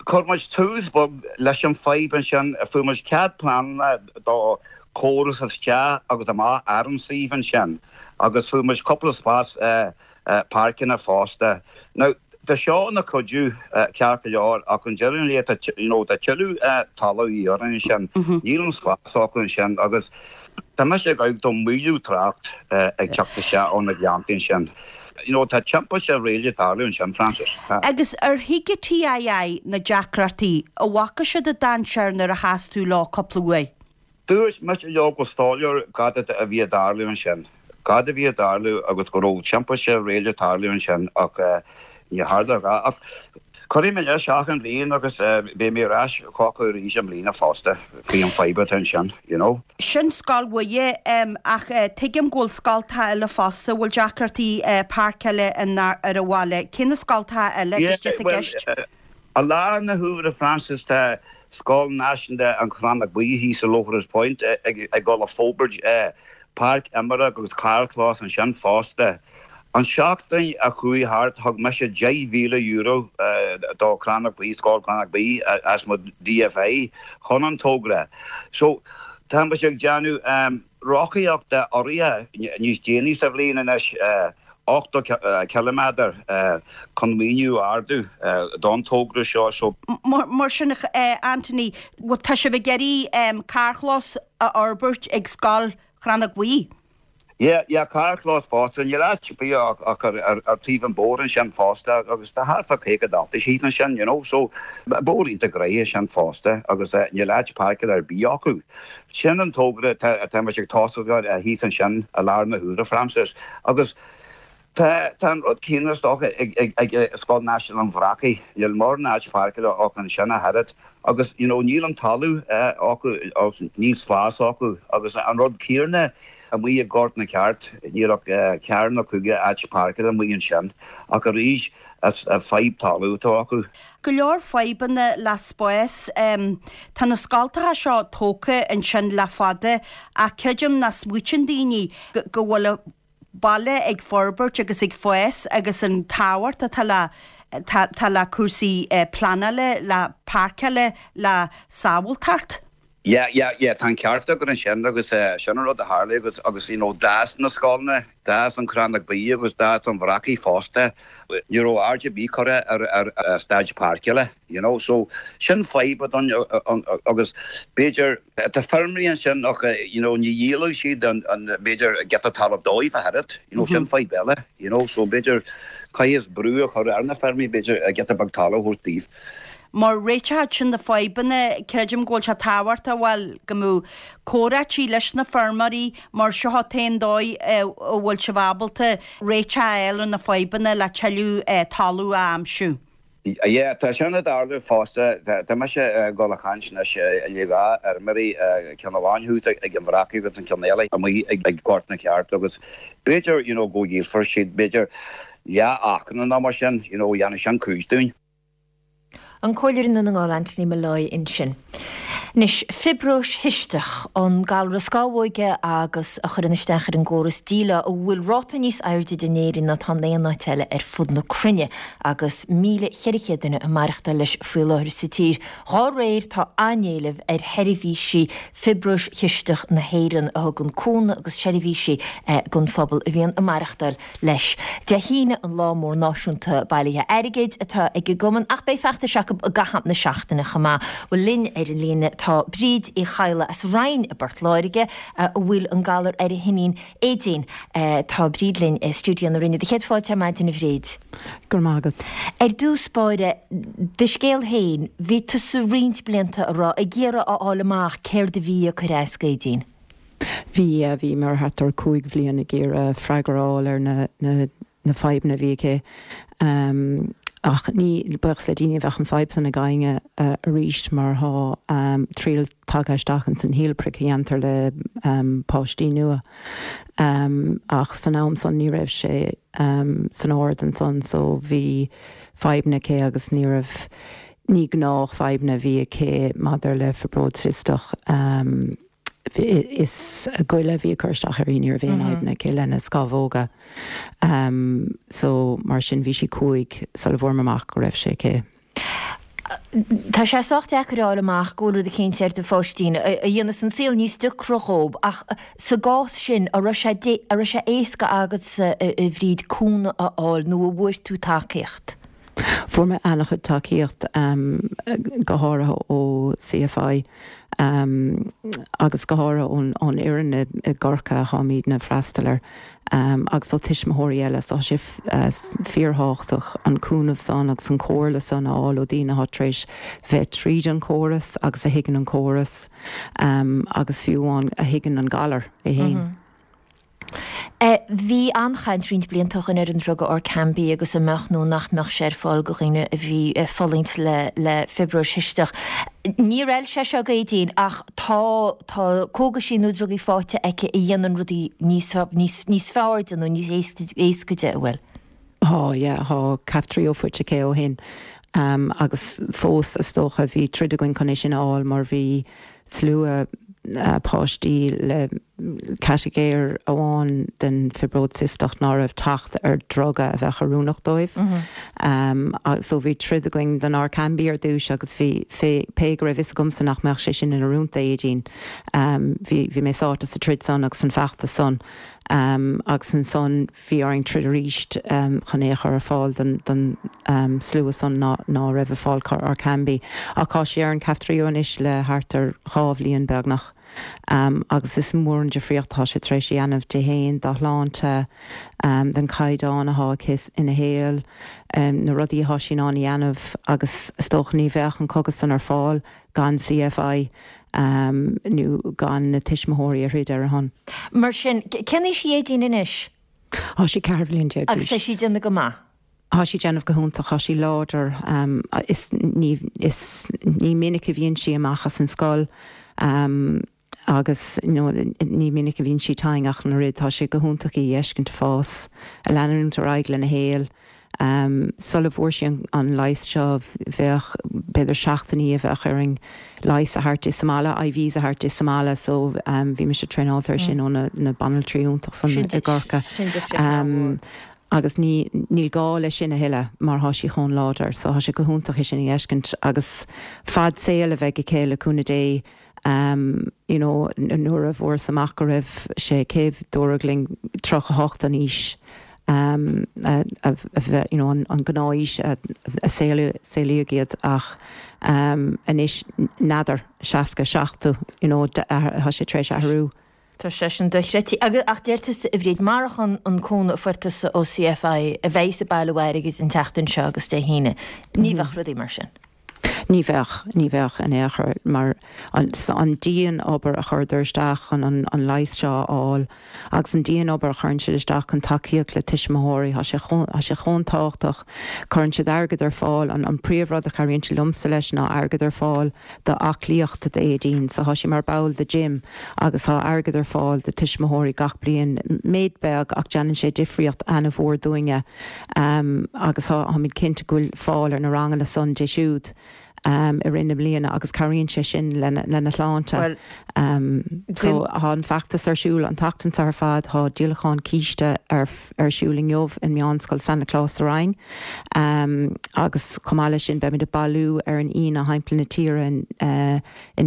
Chuir muid tús beag leis an fadhb ansin, fuair muid cead pleanála do chóras isteach agus amach ar an suíomh ansin agus fuair muid cúpla spás páirceanna fosta. Now, tá seo ina chuidiú ceart go leor ach an deireadh an lae tá you know tá tuilleadh talaimh a dhíth orainn ansin, níl an spás acu ansin agus tá mise ag amharc do mhoilliú trácht ag teacht isteach ó na gleanntaí ansin. You know, tá timpiste réidh le tarlú ansin, Frances. Tá. Agus ar thuig an TII na deacrachtaí, an bhfaca siad an dainséar nuair a chas tú leo cúpla uair? Dúirt mise leo go soiléir cad a bhí ag tarlú ansin, cad a bhí ag tarlú agus go raibh timpiste réidh le tarlú ansin ach ní tharla a dhath. Ach cuirfidh mé leis achan bhliain agus beidh mé ar ais chucu arís i mbliana fosta faoi an fadhb atá ansin, you know. Sin Scoil Mhuire, ach tuigim go bhfuil scoltacha eile fosta a bhfuil deacrachtaí páirceála ar an bhaile. Cé na scoltacha eile agus cad atá i gceist? I lár na huaire, Frances, tá Scoil Náisiúnta An Chrannóg Bhuí thíos i Loughrigg Point ag dul ag forbairt páirc imeartha agus carrchlós ansin fosta. An seachtain a chuaigh thart thug mise €10,000 do Chrannóg Buí, Scoil Chrannóg Buí as mo DFI chun an togra. So tá muid ag déanamh rothaíochta urraithe níos déanaí sa bhliain anois, 80 ciliméadar chun maoiniú a ardú don togra seo. So. Mar sin, Anthony, tá sibh ag iarraidh carrchlós a fhorbairt ag Scoil Chrannóg Bhuí? Yeah, yeah, carrchlós fosta. Níl áit ar bith ach ar taobh an bóthair ansin fosta agus tá thart fá 50 daltaí thíos ansin, you know, so bóthar iontach gnoitheach é sin fosta agus níl áit páirceála ar bith acu. Sin an togra atá muid ag tosú air thíos ansin i lár na huaire, Frances. Agus. Tá tá an rud céanna is dócha ag ag ag Scoil Náisiúnta an Bhreacaigh. Níl mórán áit páirceála acu ansin ach oiread agus you know níl an talamh acu agus níl spás acu agus an rud céanna amuigh i Gort na Ceart níl ach ceathair nó cúig áit páirceála amuigh ansin ach arís is fadhb talaimh atá acu. Go leor fadhbanna le spás. Tá na scoltacha seo tógtha ansin le fada ach creidim nach smaoitíonn daoine go bhfuil an baile ag forbairt agus ag fás agus an tábhacht atá le tá le cúrsaí pleanála, le páirceála, le sábháilteacht. Yeah, yeah, yeah, tá an ceart agat ansin agus sin an rud a tharla agus, agus you know d'fhás na scoileanna, d'fhás an Crannóg Buí agus d'fhás an Bhreacaigh fosta. Ní raibh aird ar bith curtha ar, ar staid páirceála, you know, so sin fadhb atá ann agus b'fhéidir, tá feirmeoirí ansin ach you know ní dhíolfadh siad an, an, b'fhéidir giota talaimh dóibh ach oiread, you know, sin fadhb eile, you know, so b'fhéidir caithfidh brú a chur ar na feirmeoirí b'fhéidir giota beag talaimh a thabhairt daoibh. Mar réiteach ar na fadhbanna, creidim go bhfuil sé tábhachtach, bhuel, go mbeadh comhráití leis na feirmeoirí mar seo an t-aon dóigh a bhfuil sibh ábalta réiteach a fháil ar na fadhbanna le tuilleadh talamh a aimsiú. Yeah, tá sin ag tarlú fosta. Tá mise ag dul a chaint anois le dhá fheirmeoirí, ceann amháin thuas ag an Bhreacaigh agus an ceann eile amuigh ag Gort na Ceart agus b'fhéidir, you know, go dhíolfar siad, b'fhéidir leath acra nó mar sin, you know, dhéanfadh sin cuid dúinn. An Comhairleoir i nDún na nGall Anthony Molloy ansin. Anois, fiobróis chisteach, an galra scamhóige agus a chuireann isteach ar an gcóras díleá, a bhfuil ráta níos airde de in Éirinn ná atá in aon áit eile ar fud na cruinne, agus 1,400 duine ag maireachtáil leis faoi láthair sa tír. Dhá réir, tá an-éileamh ar sheirbhísí fiobróis chisteach na hÉireann, a thugann cúnamh agus seirbhísí don phobal a bhíonn ag maireachtáil leis. Dé hAoine an lá mór náisiúnta bailithe airgid atá ag an gcumann ach beidh feachtais acu i gcaitheamh na seachtaine chomh maith. Bhuel linn ar an líne tá Bríd Uí Chadhla as Rinn i bPort Láirge a bhfuil an galar ar a hiníon Aedín. Tá Bríd linn i stiúideo na Rinne. Do chéad fáilte ar maidin a Bhríd. Go raibh maith agat. Ar dtús báire, do scéal féin, bhí tusa roinnt blianta a raibh ag iarraidh a fháil amach céard a bhí ag cur as d'Aedín. Bhí, bhíomar thart ar 5 bhliain ag iarraidh freagra a fháil ar na, na, na fadhbanna a bhí aici. Ach ní, buíochas le Dia ní bheadh an fadhb san ag éinne arís mar thá triail tagtha isteach ins an heel prick a dhéantar le páistí nua. Ach san am san ní raibh sé san ard ansan so bhí fadhbanna aici agus ní raibh, ní gnách fadhbanna a bhí aici maidir le fiobróid chisteach. Is a goile a bhí ag cur isteach uirthi, ní raibh aon fhadhbanna aici lena scamhóga. So, mar sin, bhí sí 5 sula bhfuair mé amach go raibh sé aici. Tá sé sách deacair a fháil amach go bhfuil rud eicínt ar do pháistín a dhéanas an saol níos deacra dhób ach sa gcás sin, an raibh sé an raibh sé éasca agatsa, a Bhríd, cúnamh a fháil nó an bhfuair tú tacaíocht? Fuair mé an-chuid tacaíocht, go háirithe ó CFI agus go háirithe ón fhoireann i gCorcaigh a tháimidne ag freastal air agus ó tuismitheoirí eile. So tá sé fíorthábhachtach an cúnamh san agus an comhairle san a fháil ó daoine atá tar éis bheith tríd an chóras agus a thuigeann an córas agus fiú amháin a thuigeann an galar é féin. Bhí an-chaint roinnt blianta ó shin ar an druga Orkambi agus an mbeadh nó nach mbeadh sé ar fáil do dhaoine a bhí ag fulaingt le le fiobróis chisteach. Níor fheil sé seo d'Aedín ach tá tá cógaisí nó drugaí faighte aici a dhéanann rudaí níos níos níos fearr di nó níos éasca di, an bhfuil? Thá, yeah, thá Kaftrio faighte aici ó shin agus fós is dócha bhí troid againn chun é sin a fháil mar bhí slua páistí le catagóir amháin den fibróid cisteach ná raibh teacht ar druga a bheadh oiriúnach dóibh. So bhí troid againn don Orkambi ar dtúis agus bhí, pé go raibh fhios agamsa nach mbeadh sé sin in oiriúint d'Aedín, bhí, bhí mé sáite sa troid san agus san feachtas san agus ansan, Bhí orainn troid arís chun é a chur ar fáil don slua san ná raibh ag fáil Orkambi. Ach tá sí ar an Kaftrio anois le thart ar dhá bhliain beagnach agus is mór an difríocht atá sé tar éis a dhéanamh di fhéin, dá shláinte, don chaighdeán atá aici ina shaol, na rudaí atá sí in ann a dhéanamh agus is dócha ní bheadh an cogas san ar fáil gan CFI nó gan na tuismitheoirí a throid ar a shon. Mar sin, cén aois í Aedín anois? Tá sí 14 bhliain d'aois. Agus tá sí ag déanamh go maith? Tá sí ag déanamh go hiontach, tá sí láidir, is ní, is ní minic a bhíonn sí amach as an scoil agus you know ní minic a bhíonn sí tinn ach an oiread, tá sé go hiontach í a fheiscint ag fás, ag leanúint ar aghaidh lena shaol. Sula bhfuair sí an leigheas seo bheadh b'fhéidir seachtainí a bheadh orainn leigheas a thabhairt di sa mbaile, IVs a thabhairt di sa mbaile so bhí mise traenáilte ar sin ó na banaltraí iontach san i gCorcaigh. Sin difríocht an-mhór. Agus ní níl gá leis sin a thuilleadh mar thá sí chomh láidir so thá sé go hiontach é sin a fheiscint agus fad saoil a bheidh aici le cúnamh Dé. You know nuair a fuarthas amach go raibh sé aici dúradh linn 38 an aois a bheith you know an gnáth-aois a saolaíodh iad ach anois n'fheadar 60, 70 you know tá sé tar éis athrú. Tá sé sin dochreidte. Agus ach deir tusa a Bhríd, marach an cúnamh a fuair tusa ó CFI a bheidh ag bailiú airgid an tseachtain seo agus Dé hAoine, ní bheadh rudaí mar sin. Ní bheadh, ní bheadh in aon chor, mar an dian-obair a chuireadar isteach chun an leigheas seo a fháil agus an dian-obair a chuireann siad isteach chun tacaíocht le tuismitheoirí, tá sé chomh, tá sé chomh tábhachtach. Cuireann siad airgead ar fáil, an príomhrud a chabhraíonn siad liomsa leis ná airgead ar fáil do aclaíocht d'Aedín. So tá sí mar ball de gym agus tá airgead ar fáil do tuismitheoirí gach bliain, méid beag ach déanann sé difríocht ana-mhór dúinne agus táimid cinnte go bhfuil fáil ar na ranganna san di siúd i rith na bliana agus cabhraíonn sé sin lena shláinte. So tá an feachtas ar siúl an tseachtain seo ar fad, tá díolachán císte ar ar siúl inniu i Meánscoil San Nioclás sa Rinn agus chomh maith leis sin beimid ag bailiú ar an Aoine thimpeall na tíre in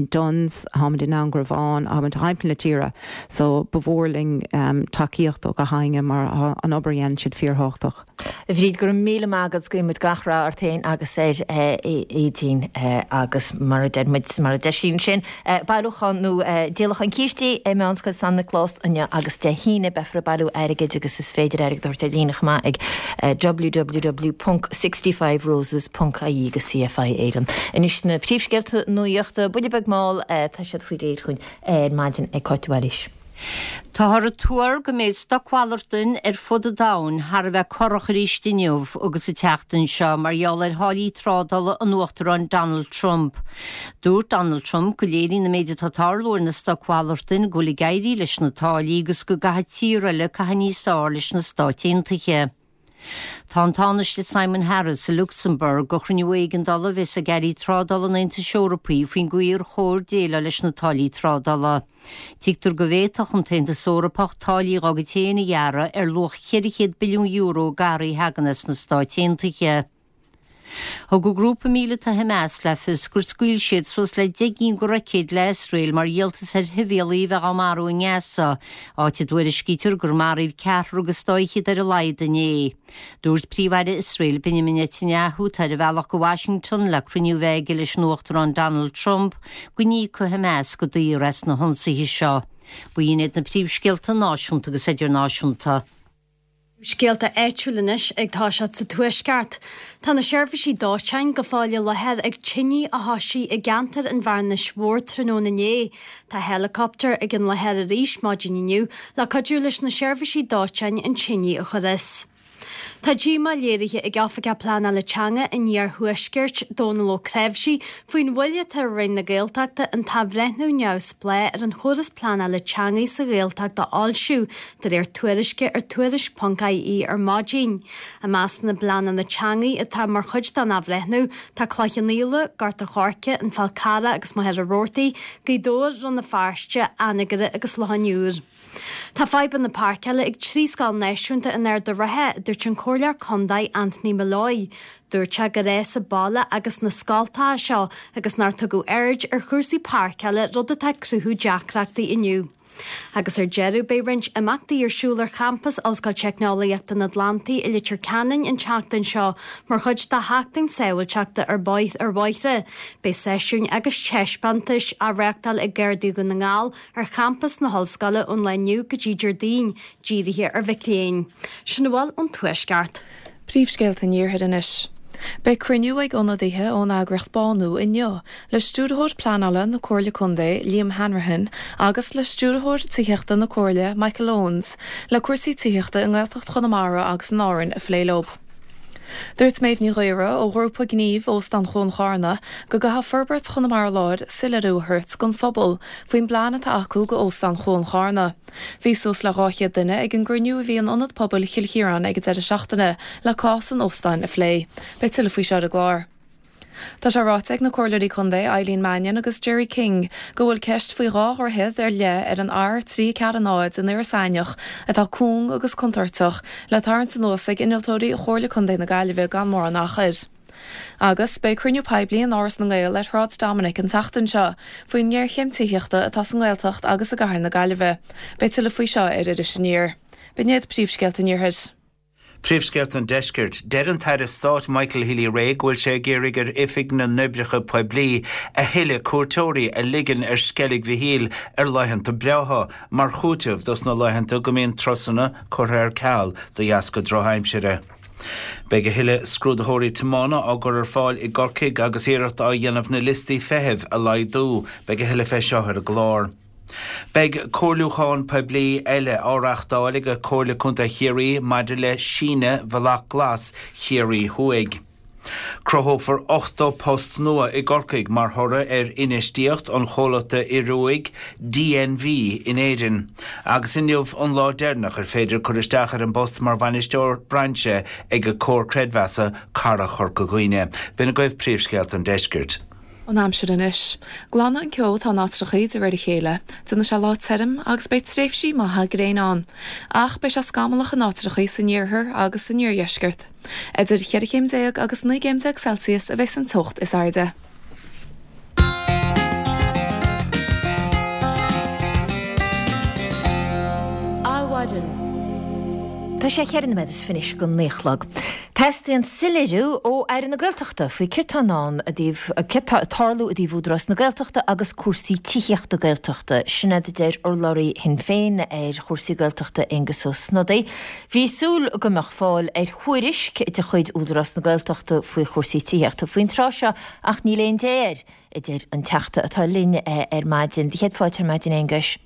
Dunnes, táimid i nDún Garbhán, táimid thimpeall na tíre so ba mhór linn tacaíocht ó gach éinne mar tá an obair a dhéanann siad fíorthábhachtach. A Bhríd, go raibh míle maith agat, guíonn muid gach rath ort féin agus ar Aedín agus mar a deir muid, mar a deir sí ansin, Bailiúchán nó díolachán cístí i Meánscoil San Nioclás inniu agus Dé hAoine beifear ag bailiú airgid agus is féidir airgead a thabhairt ar líne chomh maith ag www.sixtyfiveroses.ie go CFI Éireann. Anois na príomhscéalta nuachta, buille beag mall, tá siad faoi réir chugainn ar maidin ag Cáit de Bhailís. Táthar ag tuar go mbeidh stocmhalartáin ar fud an domhain thar a bheith corrach arís inniu agus an tseachtain seo mar gheall ar tháillí trádála an Uachtaráin Donald Trump. Dúirt Donald Trump go léiríonn an méid atá ag tarlú ar na stocmhalartáin go bhfuil ag éirí leis na táillí agus go gcaithfidh tíortha eile caitheamh níos fearr leis na Stáit Aontaithe. Tá an Tánaiste Simon Harris i Lucsamburg do chruinniú éigeandála a bheas ag airí trádála an Aontais Eorpaigh faoin gcaoi ar chóir déileáil leis na táillí trádála. Tuigtear go bhféadfadh an tAontas Eorpach táillí dá gcuid féin a ghearradh ar luach €400 billiún d'earraí a thagann as na Stáit Aontaithe. Thug an grúpa míleata Hamas le fios gur scaoil siad suas le 10 gcinn de roicéid le Iosrael mar dhíoltas ar shibhialaigh a bheith á marú i nGaza, áit a dtuairiscítear gur maraíodh ceathrar agus dá fhichead ar a laghad inné. Dúirt Príomh-Aire Iosrael Benjamin Netanyahu, atá ar a bhealach go Washington le cruinniú a bheith aige leis an Uachtarán Donald Trump, go n-íocfaidh Hamas go daor as na hionsaithe seo. B'in iad na príomhscéalta náisiúnta agus idirnáisiúnta. Scéalta áitiúil anois ag toiseacht sa Tuaisceart. Tá na seirbhísí dóiteáin go fóill i láthair ag tine a thoisigh i gceantar an Bhearnais Mhóir tráthnóna inné. Tá helicopter ag an láthair arís maidin inniu le cuidiú leis na seirbhísí dóiteáin an tine a chur as. Tá díomá léirithe ag Oifigeach Pleanála Teanga an Iarthuaiscirt, Dónal Ó Creabhsí, faoin mhoill atá ar Roinn na Gaeltachta an t-athbhreithniú neamhspleách ar an chóras pleanála teanga sa Ghaeltacht a fhoilsiú, de réir tuairisce ar Tuairisc.ie ar maidin. I measc na bpleananna teanga atá mar chuid den athbhreithniú, tá Cloich Cheann Fhaola, Gort a' Choirce, An Fál Carrach agus Machaire Rabhartaigh, Gaoth Dobhair, Rann na Feirste, Anagaire agus Loch an Iúir. Tá fadhbanna páirceála ag 3 scoil náisiúnta in Ard an Rátha, a dúirt an Comhairleoir Contae Anthony Molloy. Dúirt sé gur fhás an baile agus na scoltacha seo agus nár tugadh aird ar chúrsaí páirceála, rud atá ag cruthú deacrachtaí inniu. Agus ar deireadh, beidh roinnt imeachtaí ar siúl ar champas Ollscoil Teicneolaíochta an Atlantaigh i Leitir Ceanainn an tseachtain seo mar chuid de Sheachtain Sábháilteachta ar Bhóithre. Beidh seisiúin agus taispeántais á reáchtáil ag Gardaí Dhún na nGall, ar champas na hOllscoile ón lá inniu go dtí Déardaoin, dírithe ar mhic léinn. Sin a bhfuil ón Tuaisceart. Príomhscéalta an Iarthair anois. Beidh cruinniú ag ionadaithe ón eagraíocht Bánú inniu le Stiúrthóir Pleanála na Comhairle Contae, Liam Hanrahan, agus le Stiúrthóir Tithíochta na Comhairle, Michael Owens, le cúrsaí tithíochta i nGaeltacht Chonamara agus in Árainn a phlé leo. Dúirt Méabh Ní Ghaora ó ghrúpa gnímh Óstán Chuan Charna go gcaithfidh Forbairt Chonamara Láir soiléiriú a thabhairt don phobal faoin bplean atá acu go Óstán Chuan Charna. Bhí suas le 200 duine ag an gcruinniú a bhí in Ionad Pobail Chill Chiaráin ag an deireadh seachtaine le cás an óstáin a phlé. Beidh tuilleadh faoi seo ar an gclár. Tá sé ráite ag na Comhairleoirí Contae Eileen Mannion agus Gerry King go bhfuil ceist faoi dhá dhroichead ar leith ar an R340 in Iorras Aithneach atá cúng agus contúirteach le tarraingt anuas ag innealtóirí Chomhairle Contae na Gaillimhe gan mórán achair. Agus beidh cruinniú poiblí in Áras na nGael ar Shráid Dominic an tseachtain seo faoin ngéarchéim tithíochta atá sa nGaeltacht agus i gcathair na Gaillimhe. Beidh tuilleadh faoi seo ar Iris Aniar. B'in iad príomhscéalta an Iarthair. Príomhscéalta an Deiscirt. Deir an tAire Stáit Michael Healy-Rae go bhfuil sé ag iarraidh ar Oifig na nOibreacha Poiblí a thuilleadh cuairteoirí a ligean ar Sceilg Mhichíl ar laethanta breátha mar chúiteamh dos na laethanta go mbíonn turasanna curtha ar ceal de dheasca drochaimsire. Beidh a thuilleadh scrúdaitheoirí tiomána á gcur ar fáil i gCorcaigh agus iarracht á dhéanamh na liostaí feithimh a laghdú. Beidh a thuilleadh fé seo ar an gclár. Beidh comhairliúchán poiblí eile á reáchtáil ag Comhairle Contae Chiarraí maidir le síneadh Bhealach Glas Chiarraí Thuaidh. Cruthófar 80 post nua i gCorcaigh mar thoradh ar infheistíocht an chomhlachta Ioruaigh DNV in Éirinn. Agus inniu an lá deireanach ar féidir cur isteach ar an bpost mar bhainisteoir brainse ag Comhar Creidmheasa Cara Chorca Dhuibhne. B'in agaibh príomhscéalta an deiscirt. An aimsir anois. Glanfaidh an ceo atá in áitreachaí de réir a chéile, déanfaidh sé lá tirim agus beidh tréimhsí maithe gréine ann. Ach beidh sé scamallach in áitreachaí san iarthar agus san iardheisceart. Idir cheithre chéim déag agus 19 gcéim Celsius a bheas an teocht is airde. Adhmhaidin. Tá sé cheithre nóiméad is fiche anois go naoi a chlog. Teastaíonn soiléiriú ó Aire na Gaeltachta faoi céard tá i ndán i dtaobh, céard tá ag tarlú i dtaobh Údarás na Gaeltachta agus cúrsaí tithíochta Gaeltachta. Sin iad a deir urlabhraí Shinn Féin ar chúrsaí Gaeltachta Aengus Ó Snodaigh. Bhí súil go mbeadh fáil ar thuairisc de chuid Údarás na Gaeltachta faoi chúrsaí tithíochta faoin tráth seo ach níl aon dé air, a deir an Teachta atá linn ar maidin. Do chéad fáilte ar maidin, Aonghuis.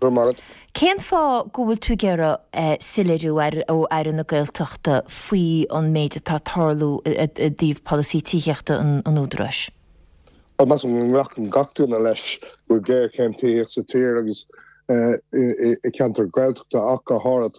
Go raibh maith agat. Cén fáth go bhfuil tú ag iarraidh soiléiriú ó Aire na Gaeltachta faoi an méid atá ag tarlú i dtaobh polasaí tithíochta an Údaráis? Bhuel, measaim go nglacann gach duine leis go bhfuil géarchéim tithíochta sa tír agus i gceantar Gaeltachta ach go háirithe.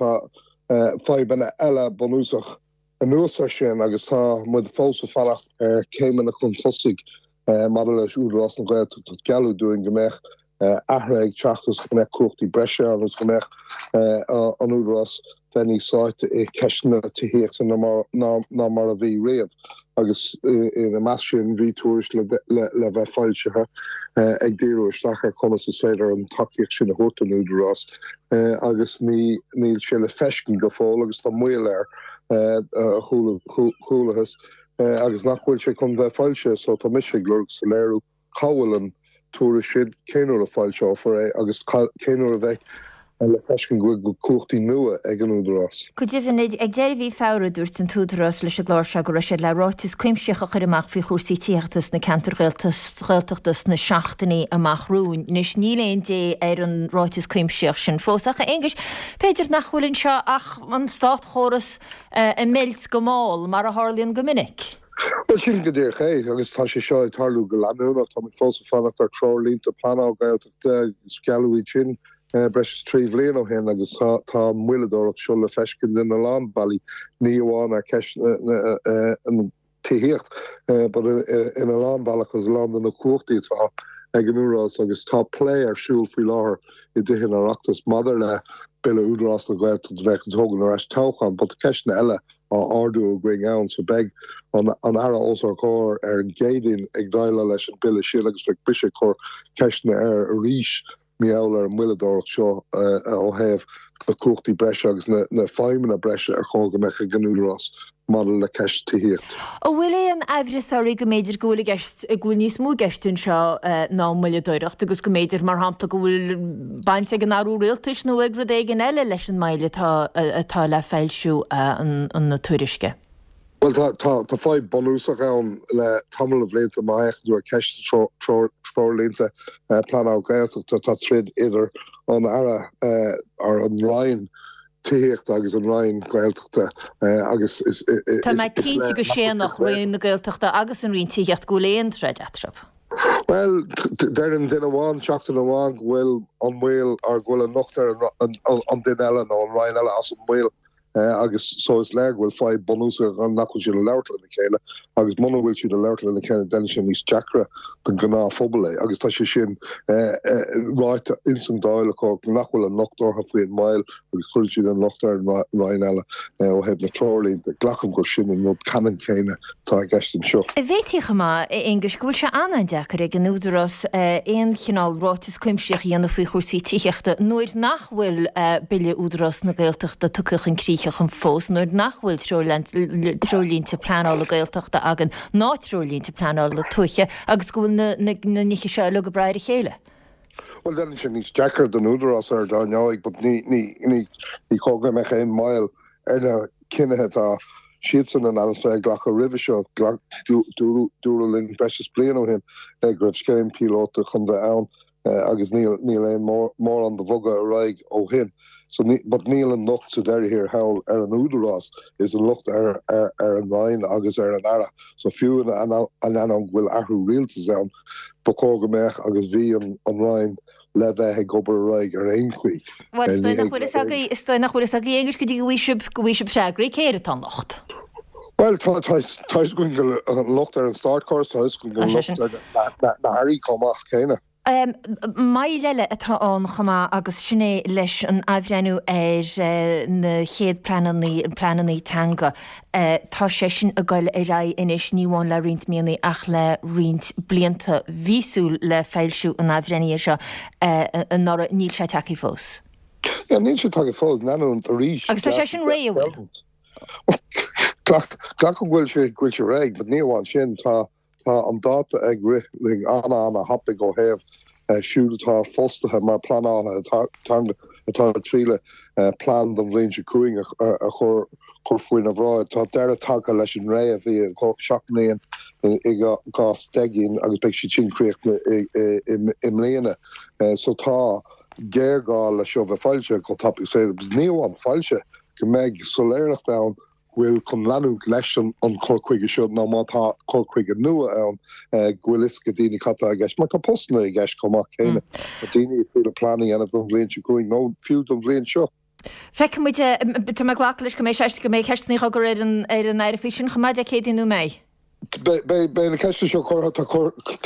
Tá fadhbanna eile bunúsach Anuas air sin, agus tá muid fós ag fanacht ar chéimeanna chun tosaigh maidir leis Údarás na Gaeltachta, gealladh dúinn go mbeadh athruithe ag teacht agus go mbeadh cumhachtaí breise ann agus go mbeadh an Údarás bheith níos sáite i ceisteanna tithíochta ná mar a bhí riamh. Agus ina measc sin bhí tuairisc le bheith foilsithe ag díriú isteach ar conas is féidir an tacaíocht sin a thabhairt don Údarás agus níl sé le feiscint go fóill agus tá moill air. a chualathas agus nach bhfuil sé chun bheith foilsithe so tá mise ag lorg soiléiriú cá bhfuil an tuairisc sin, cén uair a foilseofar é agus cén uair a bheidh le feiscint go bhfuil cumhachtaí nua ag an Údarás. Go deimhin, ag deireadh mhí Feabhra, dúirt an tÚdarás leis an gclár seo go raibh siad le ráiteas cuimsitheach a chur amach faoi chúrsaí tithíochta sna ceantair Ghaeltachta sna seachtainí amach romhainn. Anois, níl aon dé ar an ráiteas cuimsitheach sin fós. Ach, a Aonghuis, b'fhéidir nach bhfuil anseo ach an státchóras ag meilt go mall, mar a tharlaíonn go minic. Bhuel, sin go díreach é, agus tá sé seo ag tarlú go leanúnach. Táimid fós ag fanacht ar treoirlínte pleanála Gaeltachta agus gealladh iad sin breis is 3 bhliain ó shin agus tá an mhoilleadóireacht seo le feiscint ina lán bealaí, ní amháin ar cheist na tithíocht but ina lán bealach agus a lán de na cumhachtaí atá ag an Údarás agus tá plé ar siúl faoi láthair i dTithe an Oireachtais maidir le Bille Údarás na Gaeltachta a bheadh ag tógaint ar ais toghchán but tá ceisteanna eile á ardú againn ann so beidh an an Aire os ár gcomhair ar an gCéadaoin ag déileáil leis an Bille sin agus beidh mise ag cur ceisteanna air arís mar gheall ar an moilleadóireacht seo ó thaobh na cumhachtaí breise agus na feidhmeanna breise ar chóir go mbeadh ag an Údarás maidir le ceist tithíocht. An bhfuil aon aimhreas oraibh go mb'fhéidir go bhfuil i gceist, go bhfuil níos mó i gceist anseo ná moilleadóireacht agus go mb'fhéidir, mar shampla, go bhfuil baint ag an athrú rialtais nó ag rud éigin eile leis an moill atá atá le foilsiú na tuairisce? Bhuel, tá, tá, tá fadhb bunúsach ann le tamall de bhlianta má fhéachann tú ar cheist treoirlínte pleanáil Gaeltachta, tá troid idir an Aire or an Roinn Tithíochta agus an Roinn Gaeltachta agus is, is, is Tá mé cinnte go séanfadh Roinn na Gaeltachta agus an Roinn Tithíochta go bhfuil aon troid eatarthu. Bhuel, deireann duine amháin seachtain amháin go bhfuil an moill or go bhfuil an locht ar an an duine eile nó an roinn eile as an moill agus so is léir go bhfuil fadhb bunúsach ann nach bhfuil siad ag labhairt lena chéile agus muna bhfuil siad ag labhairt lena chéile déanann sé níos deacra don ghnáthphobal é agus tá sé sin ráite ins an Dáil acu nach bhfuil an locht orthu faoin moill agus cuireann siad an locht ar an roinn eile ó thaobh na treoirlínte. Glacaim gur sin an rud ceannann céanna atá i gceist anseo. Bhféadfaí chomh maith, a Aonghuis, go bhfuil sé an-an-deacair ag an Údarás aon chineál ráiteas cuimsitheach a dhéanamh faoi chúrsaí tithíochta nuair nach bhfuil Bille Údarás na Gaeltachta tugtha chun críche fós, nuair nach bhfuil treoirlínte pleanála Gaeltachta againn ná treoirlínte pleanála tuaithe agus go bhfuil na nithe seo uilig ag brath ar a chéile. Bhuel, déanann sé níos deacra don Údarás ar dar ndóigh, but ní, ní, ní, ní chóir go mbeadh aon moill ar na cinnithe atá siadsan in ainm is bheith ag glacadh roimhe seo. Ghlac, dúradh, dúradh linn breis is bliain ó shin go raibh scéim píolóta chun bheith ann agus níl, níl aon mórán de bhogadh ar aghaidh ó shin. So ní, but níl an locht sa deireadh thiar thall ar an Údarás, is an locht ar, ar, ar an Roinn agus ar an Aire. So fiú in ainneoin go bhfuil athrú rialtais ann, Ba chóir go mbeadh agus bhí an Roinn le bheith ag obair ar aghaidh ar aon chaoi. Bhuel, is dóigh nach bhfuil fhios agaibh, is dóigh nach bhfuil fhios agaibh, a Aonghuis, go dtí go bhfaighidh sibh, go bhfaighidh sibh freagraí, cé air atá an locht? Bhuel, tá, tá, tá fhios againn go bhfuil an locht ar an státchóras, tá fhios againn go bhfuil an locht ar na hairí chomh maith céanna. Moill eile atá ann chomh maith agus sin é leis an athbhreithniú ar na chéad pleananna, pleananna teanga. Tá sé sin ag dul ar aghaidh anois ní amháin le roinnt míonna ach le roinnt blianta. Bhí súil le foilsiú an athbhreithnithe seo anuraidh, níl sé tagtha fós. Yeah, níl sé tagtha fós, leanúint arís. Agus tá sé sin réidh, an bhfuil? Glacaim go bhfuil sé, go bhfuil sé réidh, but ní amháin sin, tá Tá an dáta ag rith linn an-an-thapaidh ó thaobh siúd atá fostaithe mar pleanálaithe teanga atá ag triail plean don bhliain seo chugainn a chur faoina bhráid. Tá deireadh tagtha leis an ré a bhí 7 mbliain i gcás 10 gcinn agus beidh siad sin críochnaithe i mbliana. So tá géarghá le seo bheith foilsithe chomh tapaidh is féidir. Agus ní amháin foilsithe, go mbeidh soiléireacht ann bhfuil chun leanúint leis an chur chuige seo nó má tá cur chuige nua ann, go bhfuil fhios ag daoine cad tá i gceist, mar tá postanna i gceist chomh maith céanna. Tá daoine ag triail plean a dhéanamh don bhliain seo chugainn nó fiú don bhliain seo. Feicfidh muid, tá mé ag glacadh leis go mbeidh sé, go mbeidh ceisteanna á gcur ar an ar an Aire faoi sin chomh maith Dé Céadaoin nó an mbeidh? Beidh na ceisteanna seo curtha, tá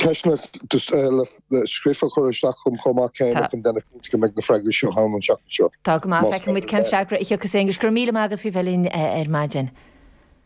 ceisteanna scríofa curtha isteach agam chomh maith céanna chun déanamh cinnte go mbeidh na freagraí seo ann an tseachtain seo. Tá go maith, feicfidh muid cén freagra a thiocfas Aonghus. Go raibh míle maith agat faoi bheith linn ar maidin.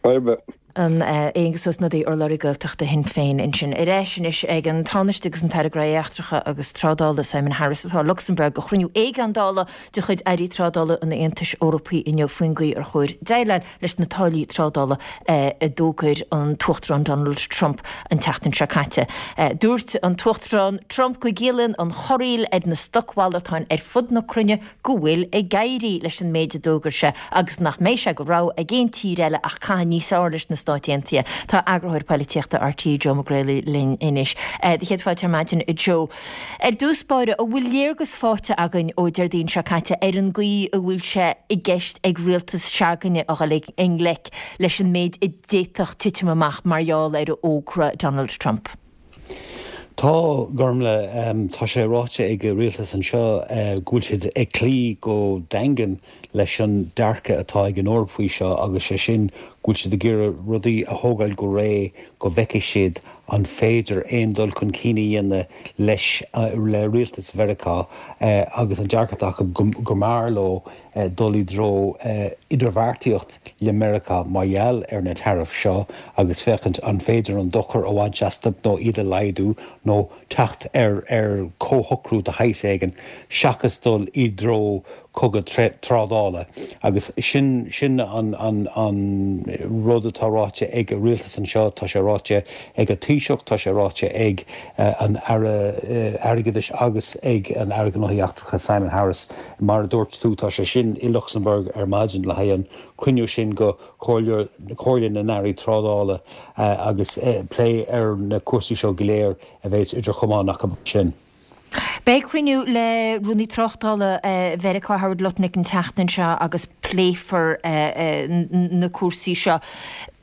Fadhb ar bith. An Aonghus Ó Snodaigh, urlabhraí Gaeltachta Shinn Féin ansin. Ar ais anois ag an Tánaiste agus an tAire Gnóthaí Eachtracha agus Trádála Simon Harris atá i Lucsamburg do chruinniú éigeandála de chuid Airí Trádála an Aontais Eorpaigh inniu faoin gcaoi ar chóir déileáil leis na táillí trádála a d'fhógair an tUachtarán Donald Trump an tseachtain seo caite. Dúirt an tUachtarán Trump go gciallaíonn an chorraíl ar na stocmhalartáin ar fud na cruinne go bhfuil ag éirí leis an méid a d'fhógair sé agus nach mbeidh sé de rogha ag aon tír eile ach caitheamh níos fearr leis na Stáit Aontaithe. Tá eagarthóir poilitíochta RTÉ Joe Mac Grealaigh linn anois. Do chéad fáilte ar maidin, a Joe. Ar dtús báire, an bhfuil léargas faighte againn ó Déardaoin seo caite ar an gcaoi a bhfuil sé i gceist ag rialtas se'againne a dhul i ngleic leis an méid a d'fhéadfadh titim amach mar gheall ar fhógra Donald Trump? Tá, Gormlaith. Tá sé ráite ag an rialtas anseo go bhfuil siad ag cloí go daingean leis an dearcadh atá ag an Eoraip faoi seo agus sé sin go bhfuil siad ag iarraidh rudaí a thógáil go réidh go bhfeicfidh siad an féidir aon dul chun cinn a dhéanamh leis le rialtas Mheiriceá agus an dearcadh atá acu go mb'fhearr leo dul i dtreo idirbheartaíocht le Meiriceá mar gheall ar na taraifí seo agus féachaint an féidir an dochar a bhaint astu nó iad a laghdú nó teacht ar ar comhshocrú de shaghas éigin seachas dul i dtreo. Cogadh trádála agus sin sin an an rud atá ráite ag an rialtas anseo, tá sé ráite ag an Taoiseach, tá sé ráite ag an Aire Airgeadais agus ag an Aire Gnóthaí Eachtracha Simon Harris. Mar a dúirt tú, tá sé sin i Lucsamburg ar maidin le haghaidh an cruinniú sin go Comhairle Comhairle na nAirí Trádála agus plé ar na cúrsaí seo go léir a bheas idir chamáin acu sin. Beidh cruinniú le Rúnaí Tráchtála Mheiriceá Howard Lutnick an tseachtain seo agus pléifear na cúrsaí seo.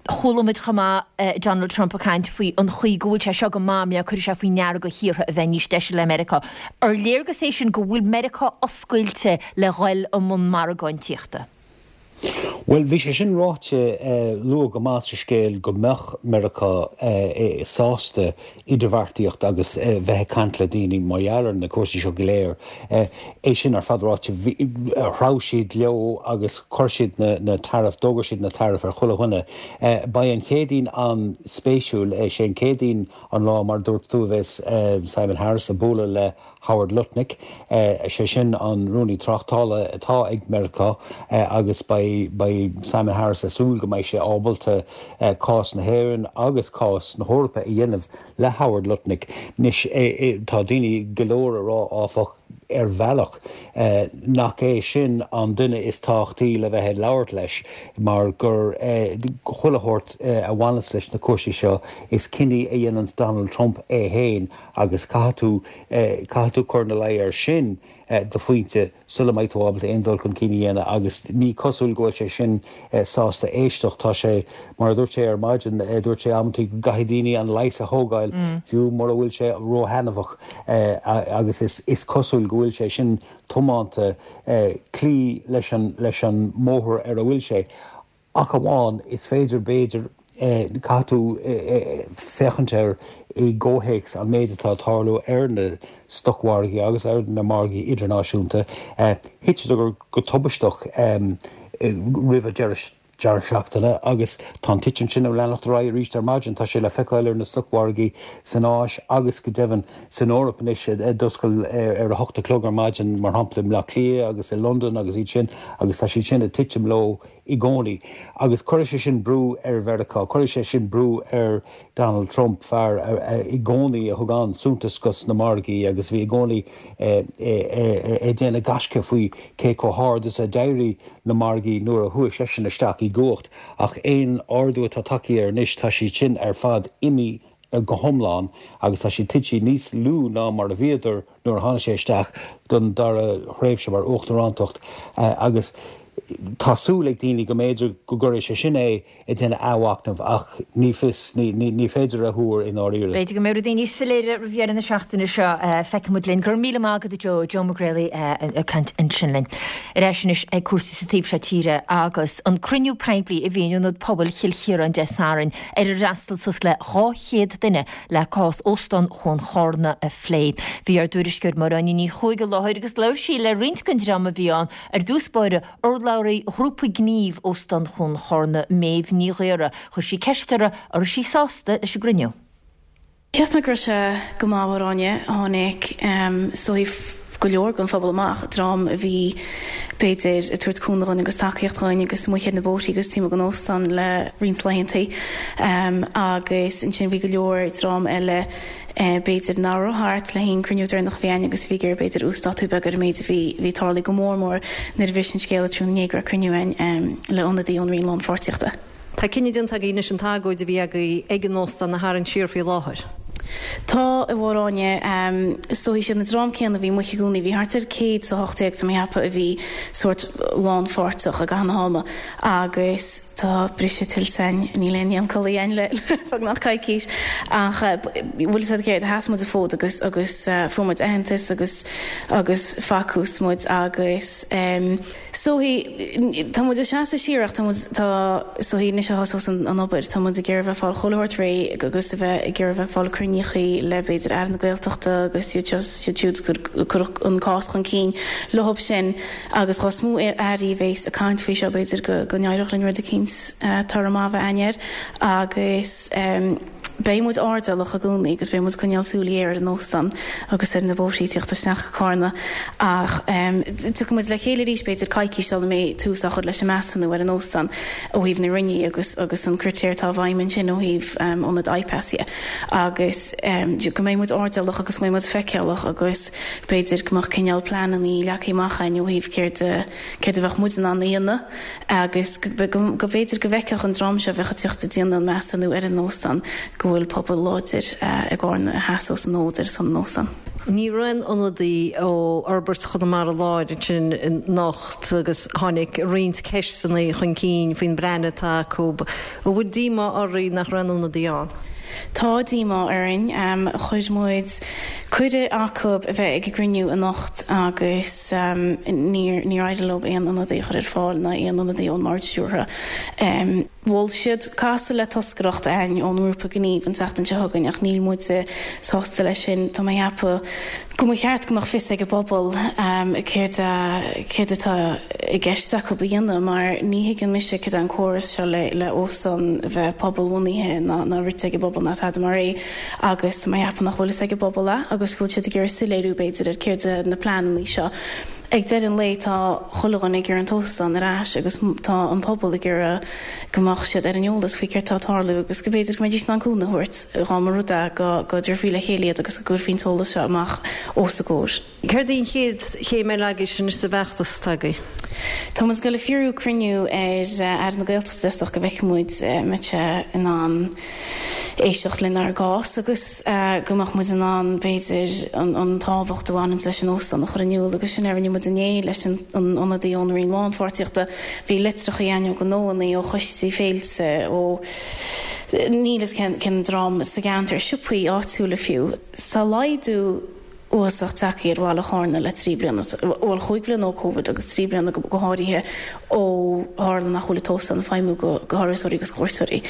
Chuala muid chomh maith Donald Trump ag caint faoi an chaoi go bhfuil sé seo go maith mar cuirfidh sé faoi ndeara do thíortha a bheith níos deise le Meiriceá. Ar léargas é sin go bhfuil Meiriceá oscailte le dhul i mbun margáintíochta? Bhuel, bhí sé sin ráite luath go maith sa scéal go mbeadh Meiriceá sásta idirbheartaíocht agus bheith ag caint le daoine mar gheall ar na cúrsaí seo go léir. É sin ar fad ráite, threabh siad leo agus chuir siad na tariff, d'fhógair siad na tariff ar chuile dhuine. Beidh an Chéadaoin an-spéisiúil. Sé an Chéadaoin an lá, mar a dúirt tú, a bheas Simon Harris ag bualadh le Howard Lutnick, sé sin an Rúnaí Tráchtála atá ag Meiriceá agus beidh Simon Harris ag súil go mbeidh sé ábalta cás na hÉireann agus cás na hEorpa a dhéanamh le Howard Lutnick. Anois, tá daoine go leor ag rá, áfach, ar bhealach, nach é sin an duine is tábhachtaí le bheith ag labhairt leis mar gur chuile shórt a bhaineas leis na cúrsaí seo, is cinní a dhéananns Donald Trump é féin Agus caithfidh tú, caithfidh tú cur ina luí air sin go pointe sula mbeidh tú ábalta aon dul chun cinn a dhéanamh agus ní cosúil go bhfuil sé sin sásta éisteacht. Tá sé, mar a dúirt sé ar maidin, dúirt sé amantaí go gcaithfidh daoine an leigheas a thógáil fiú mura bhfuil sé róthaitneamhach agus is cosúil go bhfuil sé sin tiomanta cloí leis an, leis an mbóthar ar a bhfuil sé. Ach amháin, is féidir, b'fhéidir, caithfidh tú féachaint air i gcomhthéacs an méid atá ag tarlú ar na stocmhargaí agus ar na margaí idirnáisiúnta. Thit siad go tubaisteach roimh an deireadh seachtaine agus tá an titim sin ag leanacht ar aghaidh arís ar maidin. Tá sé le feiceáil ar na stocmhargaí san Áis agus go deimhin san Eoraip anois a d'oscail ar a hocht a chlog ar maidin, mar shampla i mBleá Cliath agus i Londain agus iad sin agus tá siad sin ag titim leo i gcónaí. Agus cuirfidh sé sin brú ar Mheiriceá, cuirfidh sé sin brú ar Donald Trump, fear i gcónaí a thug an-suntas dos na margaí agus a bhí i gcónaí ag déanamh gaisce faoi cé chomh hard is a d'éirigh na margaí nuair a chuaigh seisean isteach i gcumhacht. Ach aon ardú atá tagtha air anois, tá siad sin ar fad imithe go hiomlán agus tá siad tite níos lú ná mar a bhíodar nuair a tháinig sé isteach don dara thréimhse mar uachtarántacht agus tá súil ag daoine go mb'fhéidir go gcuirfidh sé sin é ag déanamh athmhachnaimh ach ní fios, ní féidir a thuar i ndáiríre. B'fhéidir go mbeidh rudaí níos soiléire roimh dheireadh na seachtaine seo. Feicfidh muid linn. Go raibh míle maith agat a Joe, Joe Mac Réalaí ag caint ansin linn. Ar ais anois ag cúrsaí sa taobh seo tíre agus an cruinniú poiblí a bhí in Ionad Pobail Chill Chiaráin Dé Sathairn ar ar fhreastail suas le 200 duine le cás Óstán Chuan Chárna a phlé. Bhí ár dtuairisceoir Máire Áine Ní Chuaig i láthair agus labhair sí le roinnt den dream a bhí ann, ar dtús báire, urlabhraí Ghrúpa Gnímh Óstán Chuan Chárna, Méabh Ní Ghaora. Chuir sí ceist uirthi an raibh sí sásta leis an gcruinniú. Cheap mé go raibh sé go maith, a Mháire Áine. Tháinig is dóichí go leor den phobal amach, dream a bhí b'fhéidir ag tabhairt cúnamh dhúinn agus tacaíocht dhúinn agus amuigh ar na bóithrí agus taobh amuigh den óstán le roinnt laethantaí. Agus ansin bhí go leor dream eile b'fhéidir nach raibh thart le haon cruinniú deireanach a bhí againn agus a bhí ag iarraidh b'fhéidir uasdátú beag ar an méid a bhí bhí tarlaithe go mór mór nuair a bhris an scéal tráthnóna inné go raibh cruinniú againn le ionadaí ón Roinn Lánpháirtíochta. Tá cinneadh déanta agaibh anois an t-agóid a bhí agaibh ag an óstán a tharraingt siar faoi láthair. Tá, a Mháire Áine. Is dóichí siad na dream céanna a bhí amuigh i gcónaí. Bhí thart ar 118 tá mé ag ceapadh a bhí sórt lánpháirteach i gcaitheamh na hama agus tá briseadh tuillte againn, níl aon dhian codladh againn le beagnach coicís ach bhfuil fhios agat céard, sheas muid an fód agus agus fuair muid aitheantas agus agus facthas muid agus. Is dóichí, tá muid ag seasamh siar ach tá muid, tá, is dóichí anois a thosós an obair, tá muid ag iarraidh a bheith ag fáil chuile shórt réidh agus a bheith ag iarraidh a bheith ag fáil cruinníochaí le b'fhéidir Aire na Gaeltachta agus iad seo is iad siúd ag cur an cás chun cinn leothab sin agus dhá is mó airí a bhéas ag caint faoi seo b'fhéidir go go n-éireodh linn rud eicínt toradh maith a bheith againn air agus. Beidh muid airdeallach i gcónaí agus beidh muid ag coinneáil súil ghéar ar an óstán agus ar na bóithrí ag tíocht isteach go Cárna ach tiocfaidh muid le chéile arís b'fhéidir coicís sula mbeidh tús á chur leis an measúnú ar an óstán ó thaobh na Roinne agus agus an critéar atá i bhfeidhm ansin ó thaobh ionad IPAS dhe agus go mbeidh muid airdeallach agus go mbeidh muid feiceálach agus b'fhéidir go mbeadh cineál pleananna leagtha amach againn ó thaobh céard a céard a bheadh muid in ann a dhéanamh. agus go mb'fhéidir go bhfeicfeadh an dream seo a bheadh ag tíocht ag déanamh an measúnú ar an óstán go bhfuil pobal láidir i gCárna a sheasós an fód ar son an óstáin. Ní raibh aon ionadaí ó Fhorbairt Chonamara Láir ansin anocht agus tháinig roinnt ceisteanna chun cinn faoin bplean atá acu. An bhfuil díomá oraibh nach raibh aon ionadaí ann? Tá díomá orainn. Chuir muid cuireadh acu a bheith ag an gcruinniú anocht agus níor níor éirigh leo aon ionadaí a chur ar fáil ná aon ionadaí ón mBord Stiúrtha. Mhol siad casadh le toscaireacht againn ón ngrúpa gnímh an tseachtain seo chugainn ach níl muide sásta leis sin. Tá mé ag ceapadh go mba cheart go mbeadh fios ag an bpobal céard céard atá i gceist acu a dhéanamh mar ní thuigeann mise céard é an córas seo le le óstán a bheith pobalbhunaithe ná ná rite ag an bpobal ná tada mar é agus tá mé ag ceapadh nach bhfuil fhios ag an bpobal é agus go bhfuil siad ag iarraidh soiléiriú b'fhéidir ar céard é na pleananna seo. Ag deireadh an lae tá chuile dhuine ag iarraidh an t-óstán ar ais agus tá an pobal ag iarraidh go mbeadh siad ar an eolas faoi céard tá ag tarlú agus go mb'fhéidir go mbeidís in ann cúnamh a thabhairt dá mba rud é go go dtabharfaí le chéile iad agus go gcuirfí an t-eolas seo amach os a gcomhair. Céard í an chéad chéim eile agaibhse anois sa bhfeachtas atá agaibh? Tá muid ag dul ag fiosrú cruinniú ar Aire na Gaeltachta is dócha go bhfeicfidh muid an mbeidh sé in ann éisteacht lenár gcás agus go mbeadh muid in ann, b'fhéidir, an tábhacht a bhaineanns leis an óstán a chur in iúl agus sin a rinne muid inné leis an ionadaí ón Roinn Lánpháirtíochta. Bhí litreacha againn ó ghnóannaí, ó choistí féilte, ó níl fhios cén dream sa gceantar, siopaí áitiúla fiú. Tá laghdú uafásach tagtha ar bhaile Chárna le 3 bliana, bhuel chúig bhliana ó Covid agus 3 bliana go háirithe ó tharla nach bhfuil an t-óstán ag feidhmiú do thurasóirí agus cuairteoirí.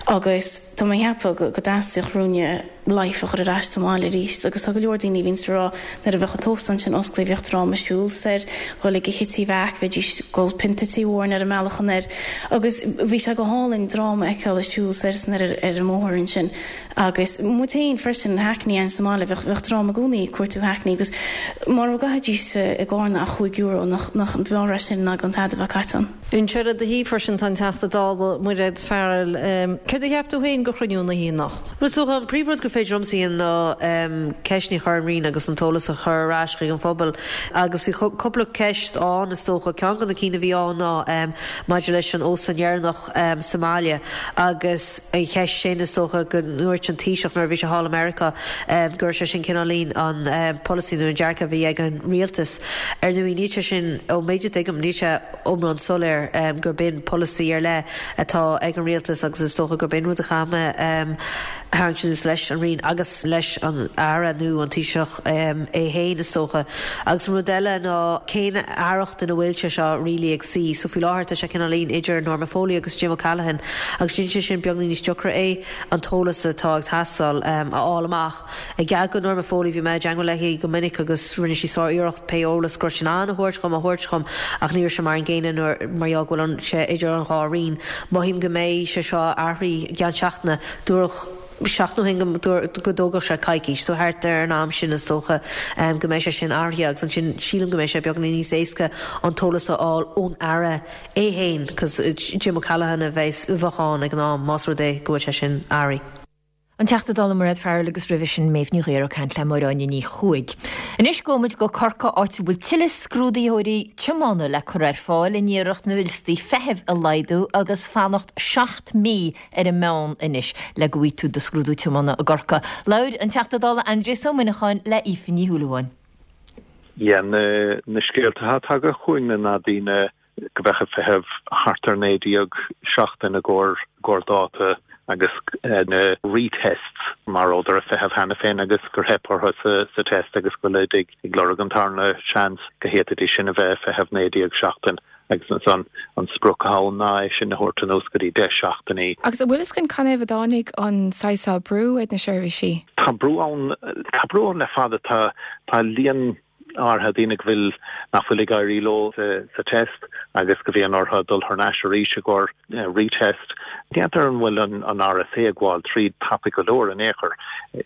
Agus tá mé ag ceapadh go dteastaíodh uainne life a chur ar ais sa mbaile arís agus tá go leor daoine a bhíonns ag rá nuair a bheadh an t-óstán sin osclaithe bhíodh dream ag siúl soir, dhul ag ithe Tí Mheaic, bheidís ag ól pionta Tí Mhórain ar an mbealach anoir agus bhí sé go hálainn dream a fheiceáil ag siúl soir is anoir ar an mbóthar ansin. Agus muid féin freisin, Hackney againn sa mbaile, bheadh, bheadh dream i gcónaí ag cuartú Hackney agus mura gcaithfidís i gCárna ach €5, nach, nach mb'fhearr é sin ná gan tada a bheith caite ann. Anseo le do thaobh freisin tá an Teachta Dála Mairéad Farrell. Céard a cheap tú féin de chruinniú na hoíche anocht? Bhuel, is dócha an príomhrud gur féidir liomsa a dhéanamh ná ceisteanna a chur ar an Roinn agus an t-eolas a chur ar ais chuig an phobal. Agus bhí cúpla ceist ann, is dócha. Ceann de na cinn a bhí ann ná maidir leis an óstán dheireanach, sa mbaile agus an cheist sin is dócha go ndúirt an Taoiseach nuair a bhí sé thall i Meiriceá go raibh sé sin cineáilín an polasaí nó an dearcadh a bhí ag an rialtas. Ar ndóigh níl sé sin, ón méid a tuigim, níl sé iomlán soiléir gurb in polasaí ar leith atá ag an rialtas agus is dócha gurb in rud a chaithfidh mé a tharraingt anuas leis an Roinn agus leis an Aire nó an Taoiseach é féin is dócha. Agus an rud eile ná cén aireacht ina bhfuil sé seo really ag suí. So faoi láthair tá sé cineáilín idir Norma Foley agus Jim O'Callaghan agus déanann sé sin beagán níos deacra é an t-eolas atá ag teastáil a fháil amach. I gcead do Norma Foley bhí mé i dteangmháil léi go minic agus rinne sí sár-iarracht pé eolas go raibh sí in ann a thabhairt dhom a thabhairt dhom ach ní raibh sé mar an gcéanna nuair mar gheall go bhfuil sé idir an dhá roinn. Mothaím go mbeidh sé seo athraithe i gceann seachtaine. Dúradh seachtain ó shin go dtógfadh sé coicís, so thart ar an am sin is dócha go mbeidh sé sin athraithe agus ansin sílim go mbeidh sé beagáinín níos éasca an t-eolas a fháil ón Aire é féin cos Jim O'Callaghan a bheas, a bheadh ann ag an am más rud é go bhfuil sé sin athraithe. An Teachta Dála Mairéad Farrell agus roimhe sin Méabh Ní Ghaora ag caint le Máire Áine Ní Chuaig. Anois gabhfaidh muid go Corcaigh áit a bhfuil tuilleadh scrúdaitheoirí tiomána le cur ar fáil in iarracht na liostaí feithimh a laghdú agus fanacht 7 mí ar an meán anois le go bhfaighidh tú do scrúdú tiomána i gCorcaigh. Labhair an Teachta Dála Aindrias Ó Muineacháin le Aoife Ní Shúilleabháin. Yeah, na na scéalta atá tagtha chugainn ná daoine go mbeadh ag feitheamh thart ar 19 seachtain i gcomhair i gcomhair dáta agus na retests mar rabhadar ag feitheamh cheana féin agus gur theip orthu sa sa test agus go bhfuilid ag ag lorg an tarna seans go bhféadfaidís sin a bheith ag feitheamh 19 seachtain. Agus ansan, an sprioc atá ann ná é sin a thabhairt anuas go dtí 10 seachtainí. Agus an bhfuil fhios againn canathaobh a dtáinig an saghas seo brú ar na seirbhísí? Tá brú ann, tá brú ann le fada. Tá, tá líon Áirithe daoine go bhfuil, nach bhfuil ag éirí leo sa test agus go bhíonn orthu dul thar n-ais arís i gcomhair retest. N'fheadar an bhfuil an RSA ag gabháil tríd tapaidh go leor in aon chor.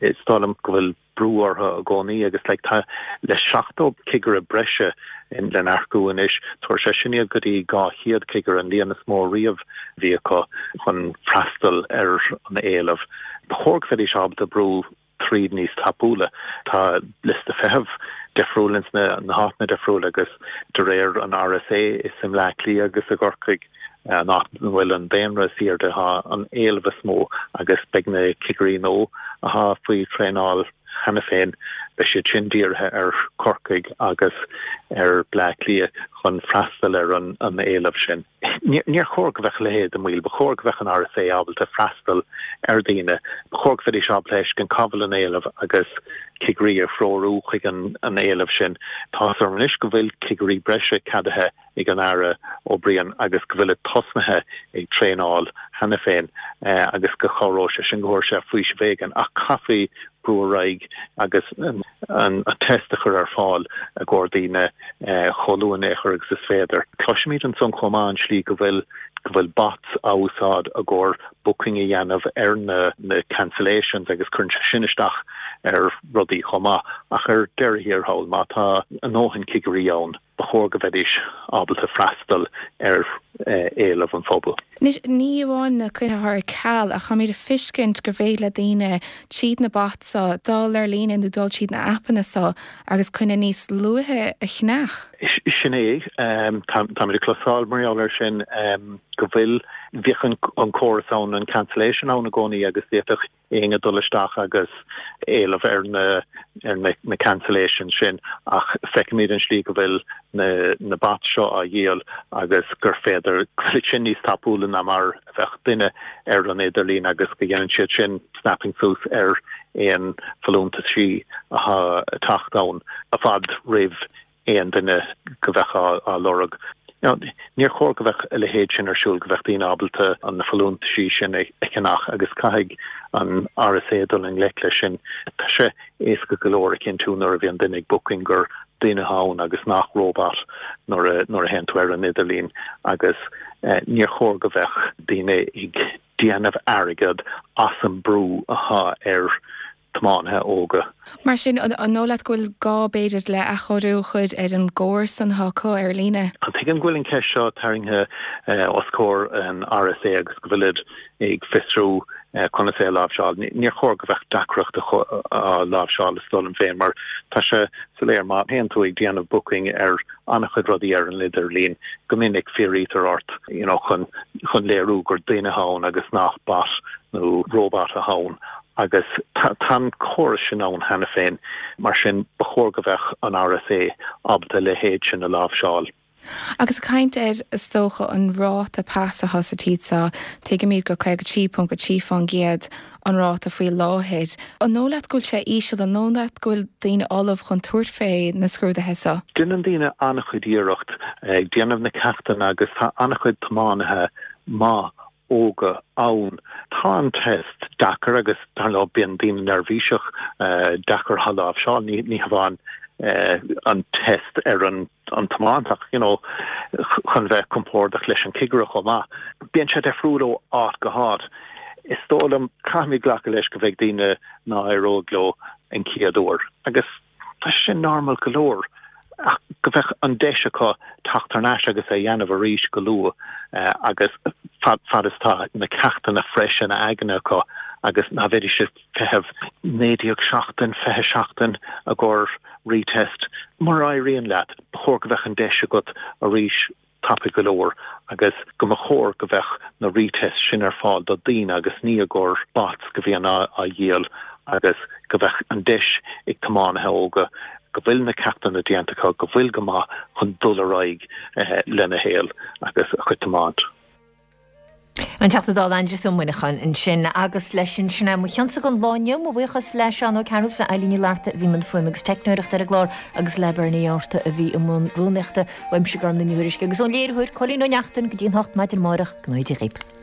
Is dóigh liom go bhfuil brú orthu i gcónaí agus like tá le 70 cigire breise le n-earcú anois, tabharfaidh sé sin iad go dtí 200 cigire, an líon is mó riamh a bhí acu chun freastal ar an éileamh. Ba chóir go mbeidís ábalta brú tríd níos tapúla. Tá liosta feithimh difriúil ins na háiteanna difriúla agus de réir an RSA is i mBleá Cliath agus i gCorcaigh an áit ina bhfuil an daonra is airde atá an éileamh is mó agus beidh na cigirí nua atá faoi thraenáil cheana féin, beidh siad sin dírithe ar Chorcaigh agus ar Bleá Cliath chun freastal ar an éileamh sin. Níor chóir go mbeadh a leithéid i mbaol. Ba chóir go mbeadh an RSA ábalta freastal ar dhaoine. Ba chóir go mbeidís ábalta a fheiscint cá bhfuil an éileamh agus cigirí a threorú chuig an éileamh sin. Tá's agam anois go bhfuil cigirí breise ceadaithe ag an Aire O'Brien agus go bhfuilid tosnaithe ag traenáil cheana féin agus go chabhróidh sé sin, go thabharfaidh sé faoiseamh éigin ach caithfí brú ar aghaidh agus an test a chur ar fáil i gcomhair daoine chomh luath in aon chor agus is féidir. Cloisimid ansan chomh maith an slí go bhfuil go bhfuil bots á úsáid i gcomhair booking a dhéanamh ar na na cancellations agus cuireann sé sin isteach ar rudaí chomh maith. Ach ar deireadh thiar thall má tá a ndóthain cigirí ann, ba chóir go mbeidís ábalta freastal ar éileamh an phobail. Anois, ní amháin na coinní atá ar ceal, ach táimid ag feiscint gur féidir le daoine, tríd na bots so, dul ar líne nó dul tríd na aipeanna so agus coinne níos luaithe a cheannach. Sin é. Táimid ag cloisteáil mar gheall air sin go bhfuil, bhíodh an córas ann, an cancellation ann i gcónaí agus d'fhéadfadh éinne dul isteach agus éileamh ar na ar na cancellations sin ach feicimid an slí go bhfuil na na bots seo á dhíol agus gur féidir go bhfuil sin níos tapúla ná mar a bheadh duine ar an idirlíon agus go dhéanann siad sin snapping suas ar aon folúntaisí atá ag teacht ann i bhfad roimh aon duine go bheadh á lorg. Níor chóir go bheadh a leithéid sin ar siúl, go bheadh daoine ábalta na folúntaisí sin a cheannach agus caithfidh an RSA dul i ngleic leis sin. Tá sé éasca go leor a chinntiú nuair a bhíonn duine ag booking gur duine atá ann agus nach robot nuair a nuair a théann tú ar an idirlíon agus níor chóir go bheadh daoine ag déanamh airgead as an brú atá ar tiománaithe óga. Mar sin, an dóigh leat go bhfuil gá, b'fhéidir, le athchóiriú a chur ar an gcóras san atá acu ar líne? Tuigim go bhfuil an cheist seo tarraingthe os comhair an RSA agus go bhfuilid ag fiosrú conas é a láimhseáil. Níor chóir go bheadh deacracht á láimhseáil is dóigh liom féin mar tá sé soiléir má théann tú ag déanamh booking ar an-chuid rudaí ar an idirlíon, go minic fiafraítear ort you know chun chun léiriú gur duine atá ann agus nach bot nó robot atá ann Agus tá an córas sin ann cheana féin, mar sin ba chóir go bheadh an RSA ábalta a leithéid sin a láimhseáil. Agus ag caint ar, is dócha, an ráta pas atá sa tír seo, tuigimid gur 53.3% an ráta faoi láthair. An dóigh leat go bhfuil sé íseal? An dóigh leat go bhfuil daoine ullamh chun tabhairt fé na scrúduithe seo? Déanann daoine an-chuid iarracht ag déanamh na ceachtanna agus tá an-chuid tiománaithe maith óga ann. Tá an test deacair agus dar ndóigh bíonn daoine neirbhíseach, deacair a láimhseáil, ní hamháin an test ar an tiomáint ach you know chun bheith compordach leis an cigire chomh maith. Bíonn sé difriúil ó áit go háit. Is dóigh liom, caithfimid glacadh leis go bheidh daoine ná éireoidh leo an chéad uair agus Tá sé sin normal go leor ach go bheadh an deis acu teacht thar n-ais agus é a dhéanamh arís go luath agus fad fad is tá na ceachtanna freis ina aigne acu agus ná bheidís ag feitheamh 19 seachtain, 20 seachtain i gcomhair retest. Mura éiríonn leat, ba chóir go bheadh an deis agat arís tapaidh go leor agus go mba chóir go bheadh na retests sin ar fáil do daoine agus ní i gcomhair bots go bhíonn á dhíol agus go bheadh an deis ag tiománaithe óga go bhfuil na ceachtanna déanta acu, go bhfuil go maith chun dul ar aghaidh lena shaol agus a chuid tiomáint. An Teachta Dála Aindrias Ó Muineacháin ansin agus leis sin, sin é mo chionsa don lá inniu. Mo bhuíochas le Seán Ó Cearúil is le Eilín Ní Fhlatharta a bhí i mbun fuaime agus teicneoireachta ar an gclár agus le Bernie Fhátharta a bhí i mbun rúnaíochta. Uaimse Gormfhlaith Ní Thuairisg agus ón léiritheoir Cóilín Ó Neachtain go dtí an 8 maidin amárach, go ngnóthaí Dia dhaoibh.